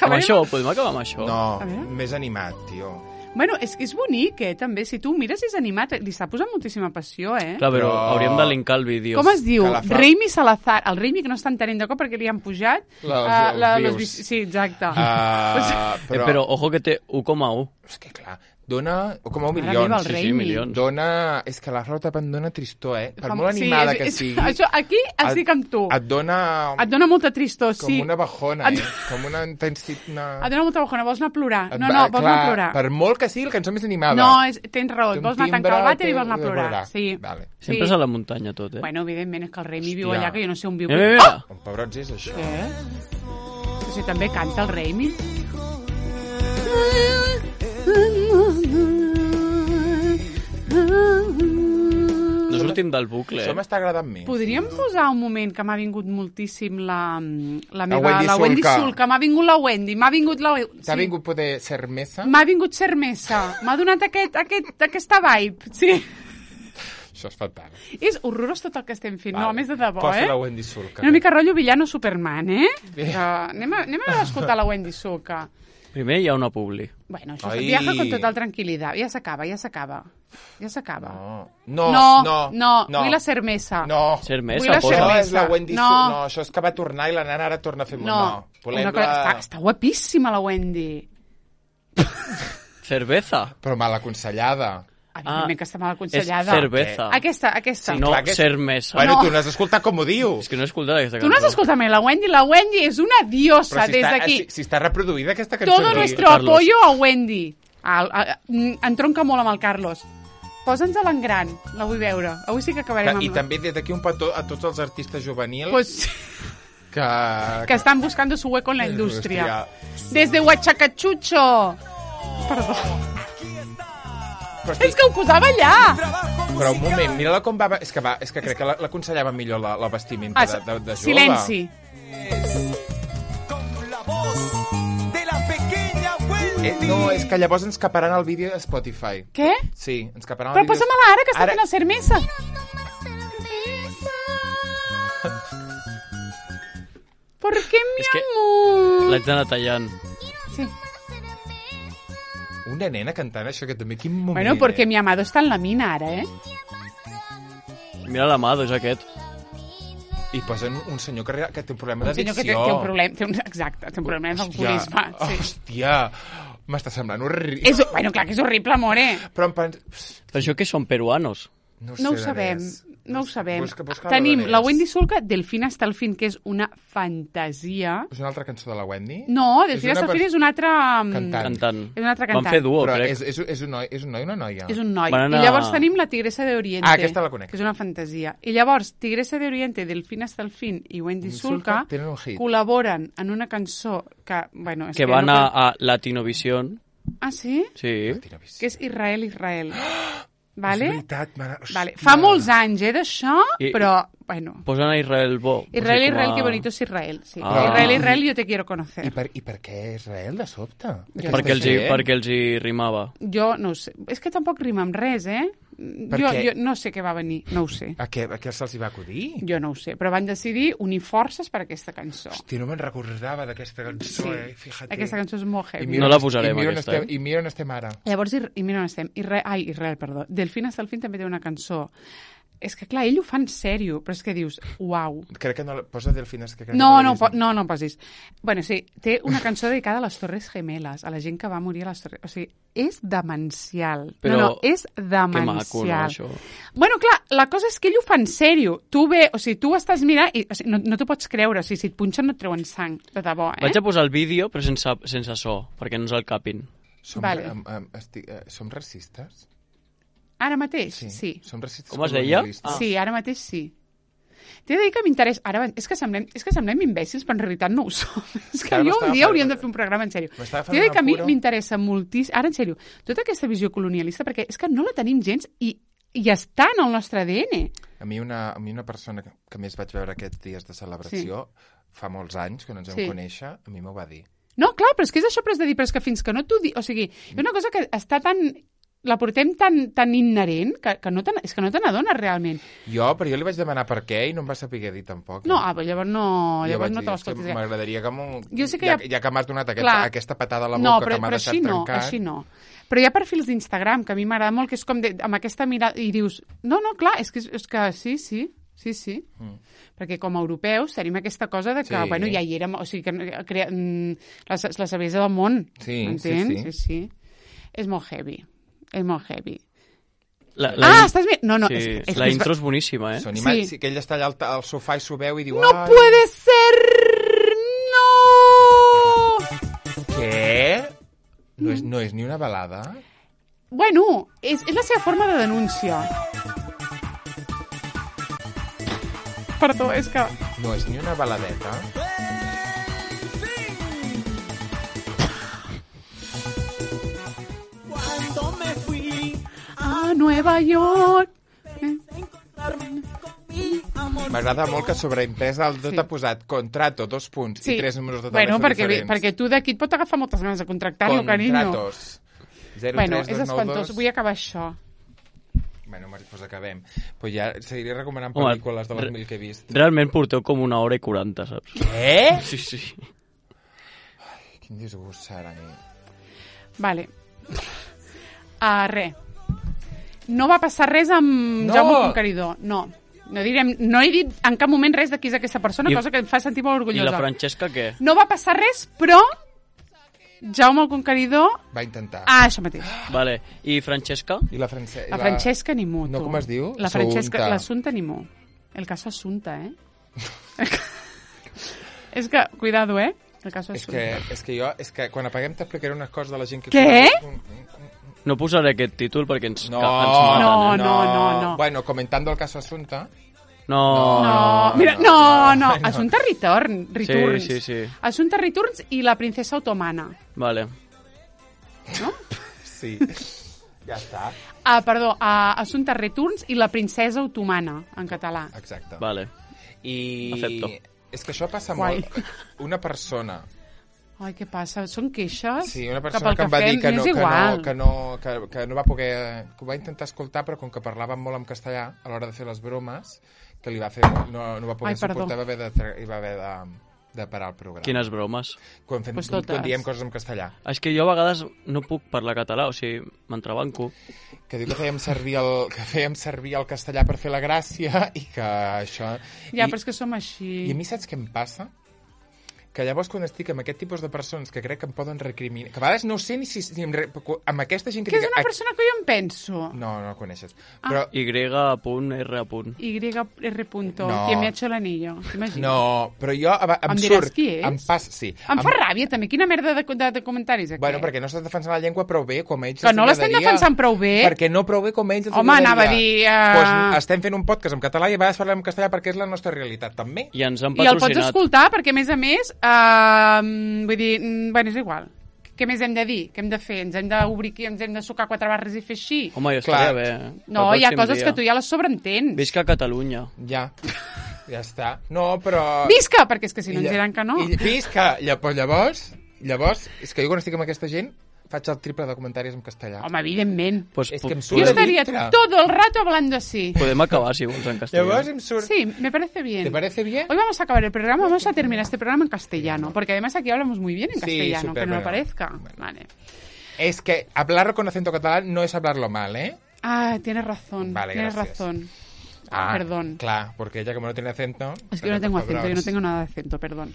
Amb això? Podem acabar amb això? No, més animat, tio. Bueno, és que és bonic, també. Si tu mires és animat, li està posant moltíssima passió, Clar, però hauríem de linkar el vídeo. Com es diu? Raimi Salazar. El Raimi, que no està entenent de cop perquè li han pujat... Els views. Sí, exacte. Però, ojo que té 1,1. És que, clar, dona 1,1 milions. Sí, milions. Dona... És que la Rosa Tapant dona tristor, Per molt animada que sigui... Això, aquí estic amb tu. Et dona molta tristor, sí. Com una bajona, Com una intensitat... Et dona molta bajona, vols anar a plorar. No, vols anar a plorar. Per molt que sigui la cançó més animada. No, tens raó, vols anar a tancar el vàter i vols anar a plorar. Sí. Sempre és a la muntanya tot, Bueno, evidentment, és que el Raimi viu allà, que jo no sé on viu. Mira. Un pebrots és això. Què? Si també canta el Raimi. No sortim del bucle, Això m'està agradant més. Podríem posar un moment que m'ha vingut moltíssim la Wendy Sulca. M'ha vingut la Wendy, m'ha vingut la... T'ha vingut poder Cermesa? M'ha vingut Cermesa. M'ha donat aquesta vibe, sí. Això és fatal. És horrorós tot el que estem fent, no, a més de debò, Posa la Wendy Sulca. Una mica rotllo villano Superman, Anem a escoltar la Wendy Sulca. Primer hi ha una publi. Bueno, això viaja con total tranquil·litat. Ja s'acaba. No. Vull la cermesa. No. Cermesa, posa. No, és la Wendy Sulca. No, això és que va tornar i la nana ara torna a fer... No. Està guapíssima, la Wendy. Cerveza. Però mal aconsellada. Evidentment que està mal aconsellada. És cerveza. Aquesta. Sí, no, cermesa. Bueno, tu no has escoltat com ho diu. És que no he escoltat aquesta cançó. Tu no has escoltat mai la Wendy. La Wendy és una diosa des d'aquí. Si està reproduïda aquesta cançó. Todo nuestro apoyo a Wendy. Entronca molt amb el Carlos. Posa'ns-la en gran. La vull veure. Avui sí que acabarem amb... I també des d'aquí un petó a tots els artistes juvenils... Pues... Que estan buscando su hueco en la industria. Desde Huachacachucho. Perdó. És que ho posava allà! Però un moment, mira-la com va... És que crec que l'aconsellava millor la vestimenta de jove. Silenci. No, és que llavors ens caparan el vídeo de Spotify. Què? Sí, ens caparan el vídeo... Però posa-me-la ara, que està fent el cermesa. ¿Por qué, mi amor? L'haig d'anar tallant. Sí. Una nena cantant això, que també quin moment... Bueno, porque mi amado está en la mina ara, Mira l'amado, és aquest. I posen un senyor que té un problema d'addicció. Un senyor que té un problema... Exacte, té un problema d'alcoholisme. Hòstia, m'està semblant horrible. Bueno, clar que és horrible, amore. Però això que són peruanos? No ho sabem. No ho sabem. Tenim la Wendy Sulca, Delfín hasta el fin, que és una fantasia. És una altra cançó de la Wendy? No, Delfín hasta el fin és una altra... Cantant. És una altra cantant. Van fer duo, però crec. És un noi o una noia? És un noi. I llavors tenim la Tigresa de Oriente. Aquesta la conec. Que és una fantasia. I llavors, Tigresa de Oriente, Delfín hasta el fin i Wendy Sulca col·laboren en una cançó que... Bueno, que van a Latinovision. Ah, sí? Sí. Que és Israel. Vale? És veritat, vale. Fa molts anys, d'això, però, bueno... Posen a Israel bo. Israel, que bonito es Israel. Sí. Israel, yo te quiero conocer. I per què Israel, de sobte? Perquè els hi rimava. Jo no ho sé. És que tampoc rima amb res, Jo no sé què va venir, no ho sé. A què se'ls hi va acudir? Jo no ho sé, però van decidir unir forces per aquesta cançó. Hòstia, no me'n recordava d'aquesta cançó, fíjate. Aquesta cançó és molt heavy. No la posarem, aquesta. I mira on estem ara. Llavors, i mira on estem. Israel, perdó. Delfín hasta el fin també té una cançó És que, clar, ell ho fa en sèrio, però és que dius, uau. Crec que no... Posa Delfines, que crec No, que no posis. Bueno, sí, té una cançó dedicada a les Torres Gemeles, a la gent que va morir a les Torres... O sigui, és demencial. Però no, és demencial. Que maco, no, això? Bueno, clar, la cosa és que ell ho fa en sèrio. Tu tu estàs mirant i o sigui, no t'ho pots creure. O sigui, si et punxen no et treuen sang, de debò, Vaig a posar el vídeo, però sense so, perquè no ens el capin. Som racistes? Ara mateix, sí. Som racistes. Com es deia? Sí, ara mateix sí. T'he de dir que m'interessa... Ara, és que semblem imbècils, però en realitat no ho som. És que jo un dia hauríem de fer un programa en sèrio. T'he de dir que a mi m'interessa moltíssim... Ara, en sèrio, tota aquesta visió colonialista, perquè és que no la tenim gens i està en el nostre ADN. A mi una persona que més vaig veure aquests dies de celebració, fa molts anys, que no ens vam conèixer, a mi m'ho va dir. No, clar, però és que és això, però és de dir, però és que fins que no t'ho dic... O sigui, és una cosa que està tan... La portem tan inherent que no te n'adones realment. Però jo li vaig demanar per què i no em va saber dir tampoc. No, però llavors no te l'escoltis. M'agradaria que ja que m'has donat aquesta patada a la boca que m'ha deixat trencat... No, així no. Però hi ha perfils d'Instagram que a mi m'agrada molt, que és com amb aquesta mirada... I dius, no, clar, és que sí. Perquè com a europeus tenim aquesta cosa de que, bueno, ja hi érem... O sigui, que la saviesa del món, m'entens? Sí. És molt heavy. És molt heavy. Estàs bé? No, és la intro és boníssima, sí. Que ell està allà al sofà i s'ho veu i diu... ¡No puede ser! ¡No! Què? No és ni una balada? Bueno, és la seva forma de denúncia. Perdó, és que... No és ni una baladeta? A Nueva York. M'agrada molt que sobreimpresa el tot ha posat contrato, 2 punts i 3 números de telèfon diferents. Perquè tu d'aquí et pot agafar moltes ganes de contractar-lo, carinyo. Contratos. 0, bueno, 3, és espantós. Vull acabar això. Bueno, doncs acabem. Pues ja seguiré recomanant pel·lícules de les 1000 que he vist. Realment porteu com 1 hora i 40, saps? Què? Sí. Ai, quin disgust serà. Vale. Res. No va passar res amb Jaume el Conqueridor. No he dit en cap moment res de qui és aquesta persona, cosa que em fa sentir molt orgullosa. I la Francesca què? No va passar res, però Jaume el Conqueridor... Va intentar. Això mateix. Vale. I Francesca? I la Francesca... La Francesca ni mu, tu. No, com es diu? La Francesca, l'Assumpta ni mu. El caso Assumpta, És que, cuidado, El caso Assumpta. És que quan apaguem t'explicaré unes coses de la gent que... Què? No posaré aquest títol perquè ens maten. No. Bueno, comentando el caso Assumpta... No. Mira, no. Assumpta Returns. Sí. Assumpta Returns i la princesa otomana. Vale. No? Sí. Ja està. Perdó, Assumpta Returns i la princesa otomana, en català. Exacte. Vale. Acepto. És que això passa molt. Una persona... Ai, què passa? Són queixes? Sí, una persona que em va dir que no va poder... Que ho va intentar escoltar, però com que parlaven molt en castellà a l'hora de fer les bromes, que li va fer... No va poder suportar i va haver de parar el programa. Quines bromes? Quan diem coses en castellà. És que jo a vegades no puc parlar català, o sigui, m'entrebanco. Que diu que fèiem servir el castellà per fer la gràcia i que això... Ja, però és que som així. I a mi saps què em passa? Que llavors quan estic amb aquest tipus de persones que crec que em poden recriminar... Que a vegades no sé ni si amb aquesta gent que... Que és una persona que jo em penso. No la coneixes. Però... Y.R. YR. Qui me ha hecho l'anillo. T'imagines? No, però jo em diràs surt... qui és? Em passa, sí. Em fa ràbia també. Quina merda de comentaris, aquest. Bueno, perquè no estàs defensant la llengua prou bé com ells. Que no l'estem defensant prou bé? Perquè no prou bé com ells. Home, anava a dir... Pues estem fent un podcast en català i a vegades parlem en castellà perquè és la nostra realitat, també. I ens han patrocinat. I el pots escoltar perquè, a més, vull dir, bueno, és igual. Què més hem de dir? Què hem de fer? Ens hem d'obrir aquí, ens hem de sucar 4 barres i fer així? Home, jo estaria bé. No, hi ha coses que tu ja les sobreentens. Visca Catalunya. Ja està. No, però... Visca! Perquè és que si no ens diran que no. Visca! Llavors, és que jo quan estic amb aquesta gent faig el triple de comentaris en castellà. Home, evidentment. Pues, és que em surt yo estaría todo el rato hablando así. Podem acabar, si vols, en castellano. Llavors em surt... Sí, me parece bien. ¿Te parece bien? Hoy vamos a acabar el programa, vamos a terminar este programa en castellano, porque además aquí hablamos muy bien en castellano, super, que no bueno, lo parezca. Bueno. Vale. Es que hablarlo con acento catalán no es hablarlo mal, ¿eh? Ah, tienes razón. Vale, tienes gracias. razón. perdón. Clar, porque ella como no tiene acento... Es que yo no tengo acento, yo no tengo nada de acento, perdón.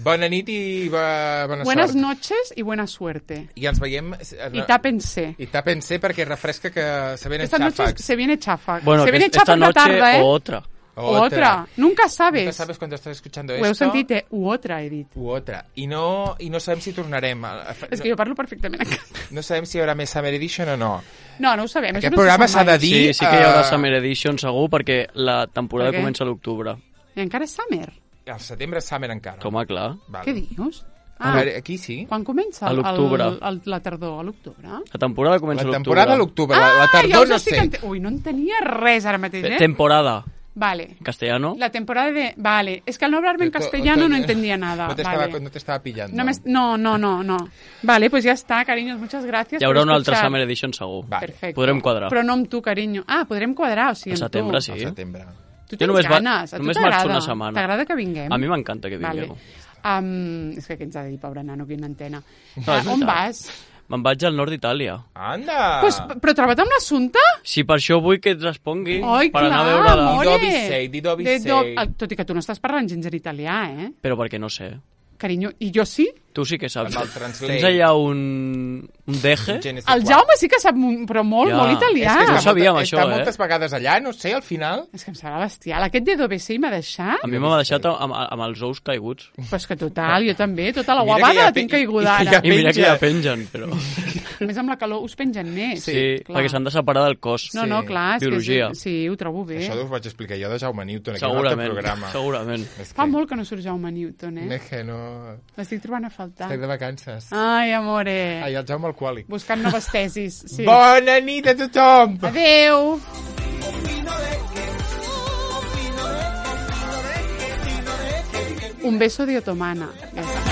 Bona nit i bona Buenas sort. noches y buena suerte. I ens veiem... Y tápense. I tápense perquè refresca que se vienen Esta noche xàfecs. se viene chafa. Bueno, se viene esta chafa en la noche tarde, ¿eh? o otra. Otra. Nunca sabes. Nunca sabes cuando estás escuchando Ho esto. heu sentit, eh? U otra, he dit. U otra. I no sabem si tornarem. És que jo parlo perfectament en català. No sabem si hi haurà més Summer Edition o no. No ho sabem. Aquest programa s'ha de dir... Sí que hi haurà Summer Edition segur, perquè la temporada Per què? comença a l'octubre. I encara és summer. Al setembre és Summer encara. Com a clar. Vale. Què dius? A veure, aquí sí. Quan comença? A l'octubre. La tardor, a l'octubre? La temporada comença a La l'octubre. temporada a l'octubre. La tardor no sé. Ui, no entenia res ara mateix, eh? Temporada. Vale. Castellano. La temporada de... Vale. Es que al no hablarme en castellano no entendía nada. No te estaba pillando. No. Vale, pues ya está, cariños. Muchas gracias. Hi haurà por una altra escuchar. Summer Edition segur. Vale. Perfecte. Podrem quadrar. Però no amb tu, carinyo. Ah, podrem quadrar, o sigui, Al amb setembre, tu. sí. Al setembre. Tu Jo tens només ganes. A tu només marxo t'agrada. una setmana. T'agrada que vinguem? A mi m'encanta que vingueu. És que què ens ha de dir, pobre nano, que una antena. és On veritat. vas? Me'n vaig al nord d'Itàlia. Anda! Pues, però troba't amb l'assumpte? Si per això vull que et respongui, Oi, per clar, anar a veure-la. amore. Di dove sei. Tot i que tu no estàs parlant gens en italià, eh? Però perquè no sé. Carinyo, i jo sí? Tu sí que saps. Amb el Translate. Tens allà un deje? El Jaume sí que sap, però molt, Ja. molt italià. És que no sabíem això, Està moltes vegades allà, no sé, al final... És que em sembla bestial. Aquest de d'OBC m'ha deixat? A mi m'ha deixat amb els ous caiguts. Pues que total, jo també. Tota la Mira que guavada ja la tinc caiguda i que ara. I mira que penja. ja pengen, però... A més, amb la calor us pengen més. Sí, clar. perquè s'han de separar del cos. No, no, clar. És Biologia. Que sí, ho trobo bé. Això us vaig explicar jo de Jaume Newton, aquí en un altre Segurament, programa. segurament. És Fa que- molt que no surt Jaume Newton, eh? És que no... L'estic trobant a faltar. Estic de vacances. Ai, amore. Ai, el Jaume alcohòlic. Buscant noves tesis. Sí. Bona nit a tothom! Adeu. Un beso de otomana. Ja està.